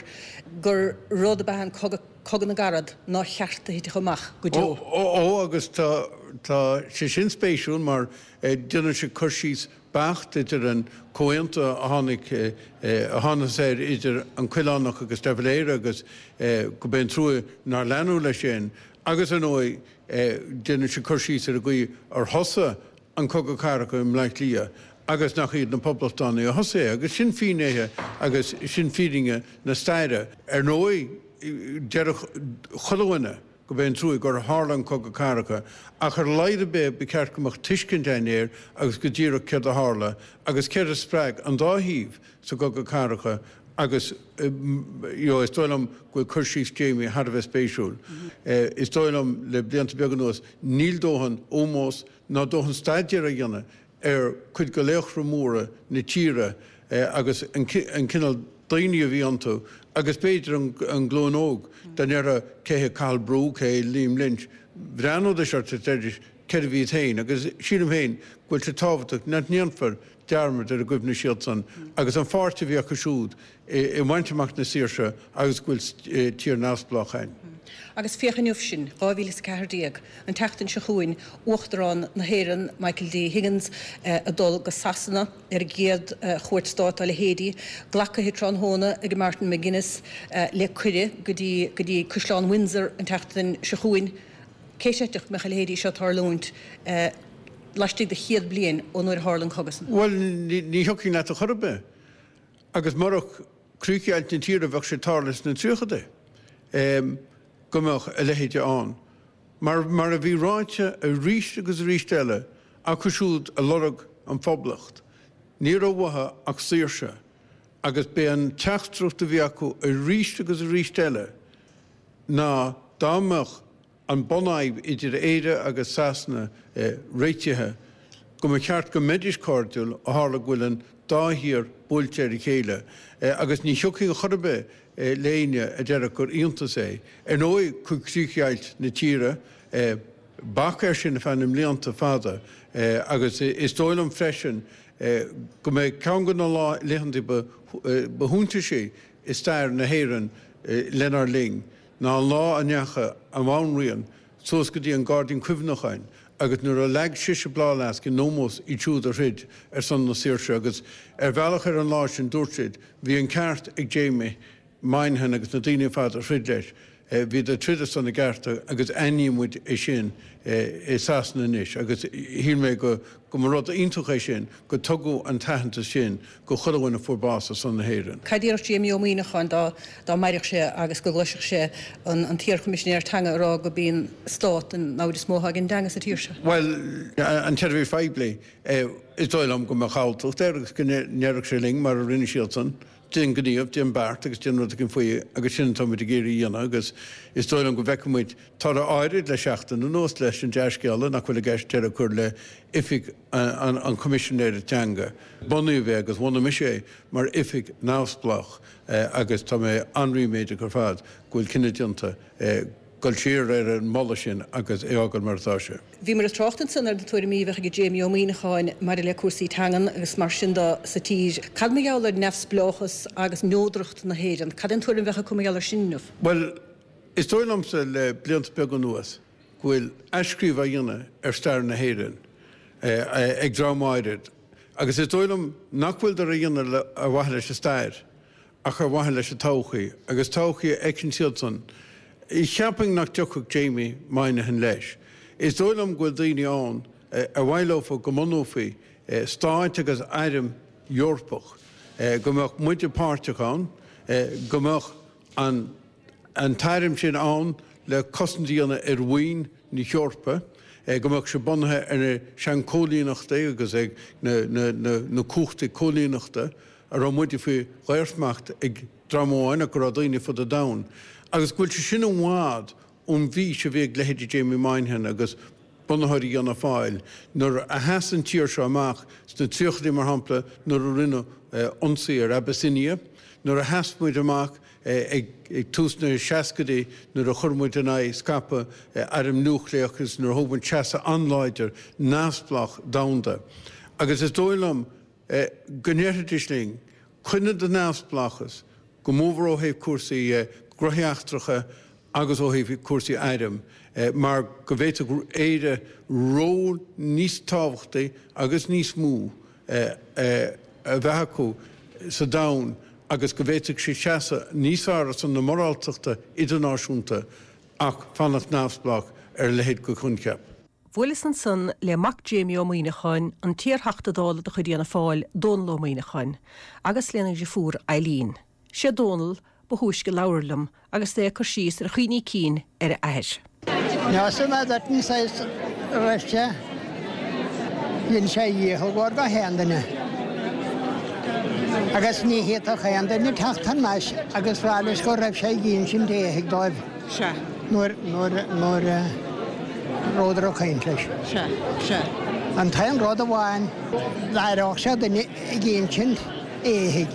A: gur rud ab ea an cogadh, Cogadh na gCarad, nár cheart a thitfeadh amach go deo.
L: Ó, ó, agus tá, tá sé sin spéisiúil mar déanann sé cur síos beacht idir an comhaontú a tháinig, a thángthas air idir an Coileánach agus de Valera agus go b'é an trua nár leanadh leis sin agus ar ndóigh déanann sé cur síos ar an gcaoi ar thosaigh an Cogadh Cathartha i mBleá Cliath agus nach iad na Poblachtánaigh a thosaigh é agus sin fínnéithe agus sin fírinne na staire. Ar ndóigh déarfadh chuile dhuine go b'é an trua gur tharla an Cogadh Cathartha, ach ar a laghad ar bith ba cheart go mbeadh tuiscint againn air agus go díreach céard a tharla agus céard a spreag an dá thaobh sa gCogadh Cathartha agus you know is dóigh liom go bhfuil cur síos Jamie thar a bheith spéisiúil. Is dóigh liom le blianta beaga anuas níl dóthain ómós ná dóthain staidéir á dhéanamh ar cuid de laochra móra na tíre agus an cineál daoine a bhí iontu agus b'fhéidir an glúin óg dá ndéarfá cé hé Cathal Brugha, cé hé Liam Lynch, bhreathnódís ort is deiridís cérbh iad féin agus sílim féin go bhfuil sé tábhachtach nach ndéanfar dearmad ar a gcuimhne siadsan agus an pháirt a bhí acu siúd i mbaint amach na saoirse agus go bhfuil tír neamhspleách againn.
A: Agus féach inniu sinn, 2014, an tseachtain seo chugainn, Uachtarán na hÉireann, Michael D. Higgins, ag dul go Sasana ar a gcéad chuairt stáit dá leithéidí, glactha tráthnóna ag Martin McGuinness le cuireadh go dtí go dtí Caisleán Windsor an tseachtain seo chugainn. Cé chreidfeadh go mbeadh a leithéidí seo ag tarlúint laistigh de chéad bliain ó nuair a tharla an cogadh san?
L: Bhuel, ní thiocfainn leat a chor ar bith. Agus murach críochdheighilt na tíre bheadh sé ag tarlú sna tríochadaí go mbeadh a leithéide ann. Mar, mar a bhí ráite arís agus arís eile acu siúd a lorg an Phoblacht, ní raibh uathu ach saoirse agus b'é an teachtaireacht a bhí acu arís agus arís eile ná dá mbeadh an bunfhadhb idir Éire agus Sasana réitithe, go mba cheart go mbeidís cairdiúil ó tharla go bhfuil an dá thír buailte ar a chéile agus ní thiocfainn a chor ar bith le éinne a déarfadh gur iontas é. Ar ndóigh, chuir críochdheighilt na tíre bac air sin ar feadh na mblianta fada agus is dóigh liom freisin go mbeidh ceann de na laethanta ba shuntasaí i stair na hÉireann lenár linn. ná an lá a ndeachaigh an Bhanríon suas go dtí an Gairdín Cuimhneacháin agus nuair a leag sise bláthfhleasc in ómós iad siúd a throid ar son na saoirse agus ar bhealach ar an lá sin dúirt siad bhí an ceart ag Jamie Moynihan agus na daoine ar fad a throid leis, bhíodar ag troid ar son a gcearta agus aithníonn muid é sin i Sasana anois agus shíl mé go go mba rud iontach é sin go tugadh an t-aitheantas sin go chuile dhuine a fuair bás ar son na hÉireann.
A: Cad a déarfadh Jamie Ó Muíneacháin dá dá mairfeadh sé agus go gcloisfeadh sé an an t-iar-Choimisinéir Teanga ag rá gurb í an Stát an namhaid is mó atá ag an dteanga sa tír seo?
L: Bhuel, an tseirbhís phoiblí, is dóigh liom go mbeadh alltacht air agus go ndéarfadh sé linn, mar a rinne siadsan, déan gníomh, déan beart agus déan rud éigin faoi agus sin atá muid ag iarraidh a dhéanamh agus is dóigh liom go bhfeicfidh muid toradh áirid le seachtain anuas le. leis an dea-scéala nach bhfuil i gceist deireadh a chur le Oifig an Choimisinéara Teanga. Bunaíodh é agus bhunaigh mise é mar oifig neamhspleách agus tá mé an-ríméadach ar fad go bhfuil cinneadh déanta dul siar ar an moladh sin agus é a fhágáil mar atá sé.
A: Bhíomar ag trácht ansan ar na tuairimí a bheadh ag Jamie Ó Muíneacháin maidir le cúrsaí teangan agus mar sin de sa tír. Cad mar gheall ar neamhspleáchas agus neodracht na hÉireann? Cad é an tuairim a bheadh acu mar gheall air sin inniu?
L: Bhuel, is dóigh liomsa le blianta beaga anuas go bhfuil athscríobh á dhéanamh ar stair na hÉireann ag dream áirid agus is dóigh liom nach bhfuileadar á dhéanamh ar mhaithe leis an stair ach ar mhaithe leis an todhchaí, agus todhchaí a fheiceann siadsan. Cheapfainn nach dtiocfadh Jamie Moynihan leis. Is dóigh liom go bhfuil daoine ann ar mhaith leofa go mbunófaí stáit agus airm Eorpach, go mbeadh muide páirteach ann, go mbeadh an an t-airm sin ann le cosaint a dhéanamh ar mhaoin na hEorpa, go mbeadh sé bunaithe ar na seanchóilíneachtaí agus ag na cumhachtaí cóilíneachta. a raibh muide faoi dhaorsmacht ag dream amháin ach go raibh daoine fud an domhain, agus go bhfuil sé sin i bhfad ón bhfís a bhí ag leithéidí Jamie Moynihan agus bunaitheoirí Fhianna Fáil nuair a sheas an tír seo amach sna tríochaidí mar shampla nuair a rinneadh ionsaí ar Abyssinia, nuair a sheas muid amach ag tús na seascaidí nuair a chuir muid in aghaidh scaipeadh airm núicléach agus nuair a thóg muid seasamh an-láidir neamhspleách domhanda. Agus is dóigh liom go ndéarfaidís linn, coinnigh do neamhspleáchas, go mórmhór ó thaobh cúrsaí gnóthaí eachtracha agus ó thaobh cúrsaí airm, mar go bhféadfadh Éire ról níos tábhachtaí agus níos mó a bheith acu sa domhan agus go bhféadfadh siad seasamh níos fearr ar son na moráltachta idirnáisiúnta ach fanacht neamhspleách ar a leithéid de choincheap.
A: Bhuaileas ansan le mac Jamie Ó Muíneacháin, an t-iar-Theachta Dála de chuid Fhianna Fáil, Dónal Ó Muíneacháin, agus lena dhriofúr Eileen. Sé Dónal ba thúisce labhair liom agus é ag cur síos ar a chuimhní cinn ar a athair.
M: Neosfaidh mé duit an saghas a raibh sé. Dhein sé a dhícheall go gach aon duine. Agus ní fhéadfadh aon duine teacht thar n-ais agus rá leis go raibh sé ag insint éithigh dóibh.
A: Sea.
M: Nuair, nuair, nuair a rabhadar ag caint leis.
A: Sea, sea.
M: An t-aon rud amháin, d'aireodh sé duine ag insint éithigh.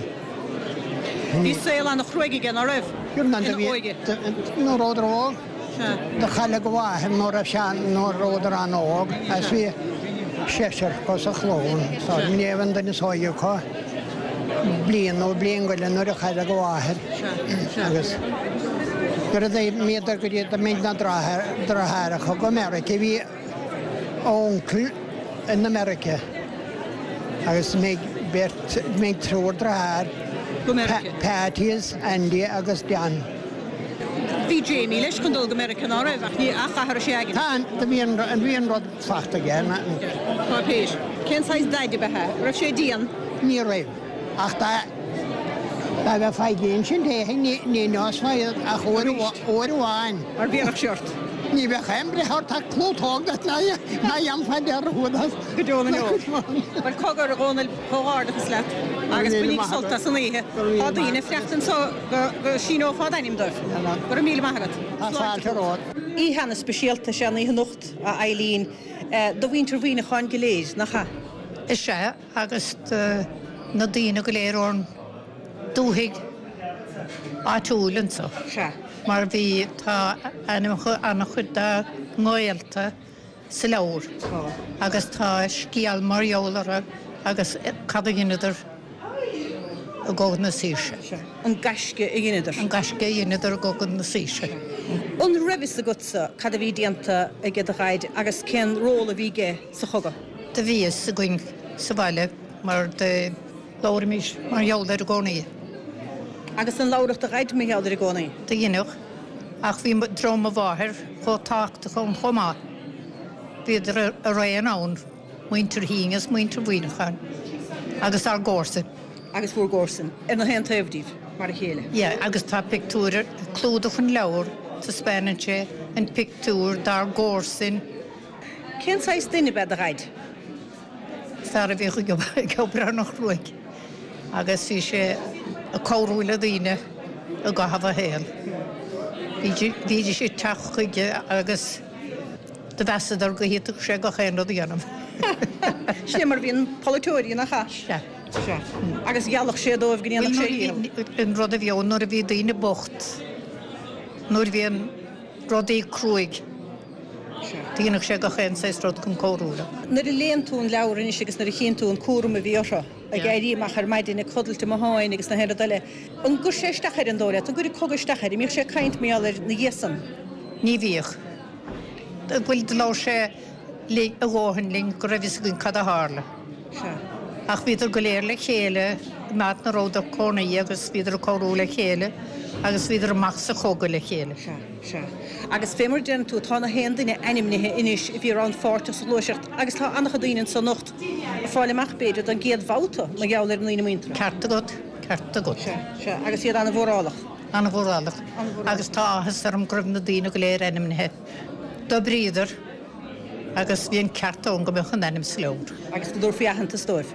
A: Bhí saol an-chruaidh aige, ná raibh? Ina óige.
M: Nuair a rabhadar óg.
A: Sea.
M: Do cailleadh a mháthair nuair a raibh sé, nuair a rabhadar an-óg. Agus bhí seisear acu sa chlann. Sea. Ní raibh an duine is óige acu bliain nó bliain go leith nuair a cailleadh a mháthair. Agus nuair a d'imíodar go dtí, d'imigh na deartháireacha go Meirice, bhí a uncail in America agus d'imigh beirt, d'imigh triúr deartháir, Patty is Andy agus John.
A: Bhí Jamie leis chun dul go Meiriceá, ná raibh? Ach ní, ach athraigh sé aigne.
M: Tá, bhí an, bhí an rud fachta aige.
A: Páipéir. Cén saghas daid ab ea é? Raibh sé dian?
M: Ní raibh. Ach dá mbeifeá ag insint éithigh ní neosfá iad ach uair amháin.
A: Mar bhéarfadh sé ort.
M: Ní bheadh aon bhreith ort ach clútóg duit nach ndéanfá dearúd as.
A: Go deo na ndeor. Bhuel, cogar, a Dhónaill, comhghairdeachas leat agus bainíg sult as an oíche. Tá daoine ag fanacht anseo go síneofá d'ainm dóibh. Go raibh míle maith agat.
M: Tá fáilte romhat.
A: Oíche ana-speisialta is ea an oíche anocht, a Eileen, do mhuintir Mhuineacháin go léir, nach ea?
N: Is ea. agus do na daoine go léir ón dúthaigh áitiúil anso.
A: Sea.
N: Mar bhí, tá ainmneacha an-chuid dá ngaolta sa leabhar.
A: Tá.
N: Agus tá scéal mar gheall orthu agus cad a dheineadar i gCogadh na Saoirse.
A: Sea. An gaisce a dheineadar.
N: An gaisce a dheineadar i gCogadh na Saoirse.
A: An raibh fhios agatsa cad a bhí déanta aige do Dhaid agus cén ról a bhí aige sa chogadh?
N: Do bhí fhios againn sa bhaile mar do labhraímis mar gheall air i gcónaí.
A: Agus an labhradh do Dhaid mar gheall air i gcónaí?
N: Do dheineadh, ach bhí dream mo mháthair chomh tábhachtach ann chomh maith. Bhíodar araon ann, muintir Shuinn is muintir Mhuineacháin, agus ár gcomharsain.
A: Agus bhur gcomharsain, ar na haon taobh díbh, mar a chéile.
N: Yeah, agus tá pictiúir ar clúdach an leabhair, taispeánann sé an pictiúr dár gcomharsain.
A: Cén saghas duine ab ea do Dhaid?
N: Fear a bhíodh ag obair an-chruaidh agus bhí sé ag cabhrú le daoine i gcaitheamh a shaoil. Bhídís ag teacht chuige agus. Do mheasadar go bhféadfadh sé gach aon rud a dhéanamh.
A: Sin é mar a bhíonn polaiteoirí, nach ea?
N: Sea.
A: Sea. Agus gheallfadh sé dóibh go ndéanfadh sé a dhícheall.
N: An rud a bhí ann nuair a bhí daoine bocht, nuair a bhíonn rudaí cruaidh, dhéanfadh sé gach aon saghas rud chun cabhrú leo.
A: Nuair a léann tú an leabhar anois agus nuair a chíonn tú an cúram a bhí orthu, ag éirí amach ar maidin, ag codlailt i mbotháin agus na haon rud eile, an gcuir sé isteach air an dóigh leat? An gcuireadh cogadh isteach air? An mbíodh sé ag caint mar gheall air 'na dhiaidh san?
N: Ní bhíodh. Bhuel, do labhair sé linn, a dhóthain linn go raibh fhios againn cad a tharla.
A: Sea.
N: Ach bhíodar go léir le chéile in áit 'na rabhadar cónaí agus bhíodar ag cabhrú le chéile agus bhíodar amach sa chogadh le chéile.
A: Sea, sea. Agus fé mar a deireann tú, tá na haon duine ainmnithe anois a bhí rannpháirteach sa ghluaiseacht agus tá an-chuid daoine anso anocht ag fáil amach, b'fhéidir, don gcéad bhabhta mar gheall ar na ndaoine muinteartha.
N: Ceart agat, ceart agat.
A: Sea, sea. Agus iad an-mhórálach.
N: An-mhórálach. Agus tá áthas orm go raibh na daoine go léir ainmnithe. D'oibríodar agus bhí an ceart ann go mbeadh a n-ainm sa leabhar.
A: Agus go dtabharfaí aitheantas dóibh.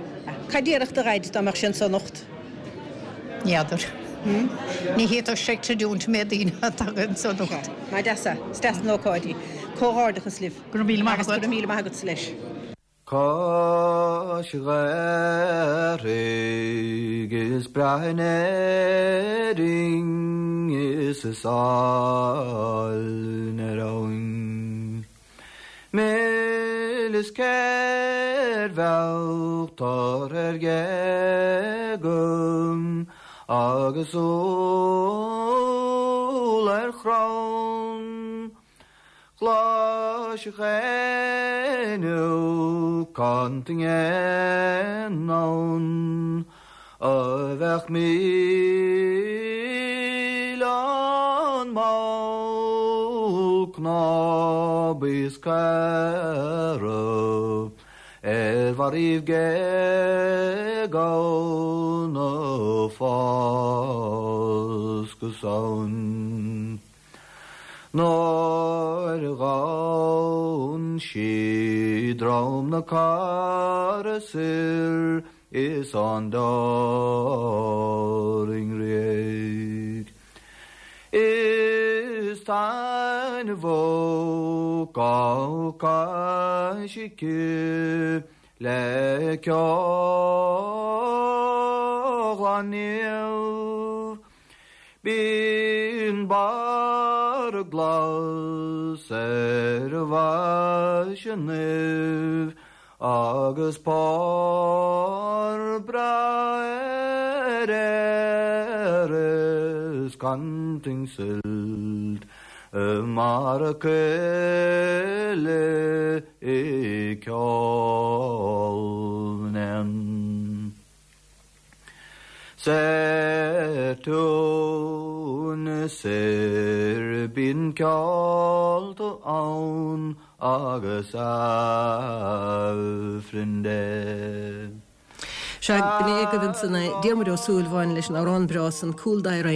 A: Cad déarfadh do Dhaid dá mbeadh sé anso anocht?
N: Ní fheadar. Ní fhéadfadh sé creidiúint an méid daoine atá anso anocht.
A: Sea. Mar deas é. Is deas an ócáid í. Comhghairdeachas libh.
N: Go raibh míle maith
A: agat. Agus go raibh míle maith agatsa leis.
O: Cois Ghaorthaidh is breá in Éirinn is is álainn ar abhainn. Mil is céir bheadh tor ar ghéaga agus úll ar chrann. Chloisfeadh éinne cantain éan ann a bheadh míleán mall cnámh is caora ar bharraíbh géag ann a fás go sonn. Nuair a ghabhann sí drom na Cara soir is an Doireann Réidh. Is taitneamhach gach cois aici le ceol ghlan naomh. Bíonn barra glas ar a bhfaiseanaibh agus pár breá ar fhéar is cantain suilt mar a coille i ceol na n-éan. Soir tún soir bíonn ceolta ann agus Aifreann Dé.
A: Sea, b'in é agaibh ansan é, Diarmuid Ó Súilleabháin leis an amhrán breá san, Cúl Dair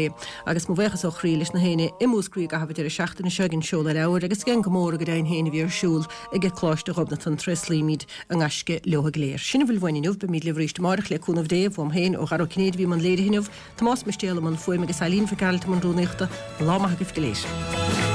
A: agus mo bhuíochas ó chroí leis na héinne i Múscraí i gcaitheamh an deireadh seachtaine seo ag an seoladh leabhair agus ag an gcomóradh go deimhin féin a bhí ar siúl ag Coláiste Ghobnatan. Tréaslaímid a ngaisce leo go léir. Sin a bhfuil uainn inniu. Beimid libh arís amárach le cúnamh Dé. Uaim féin, ó Dhara Ó Cinnéide a bhí i mbun léirithe inniu, Tomás Mistéal i mbun fuaime agus Eileen Mhic Gearailt i mbun rúnaíochta. Lá maith agaibh go léir.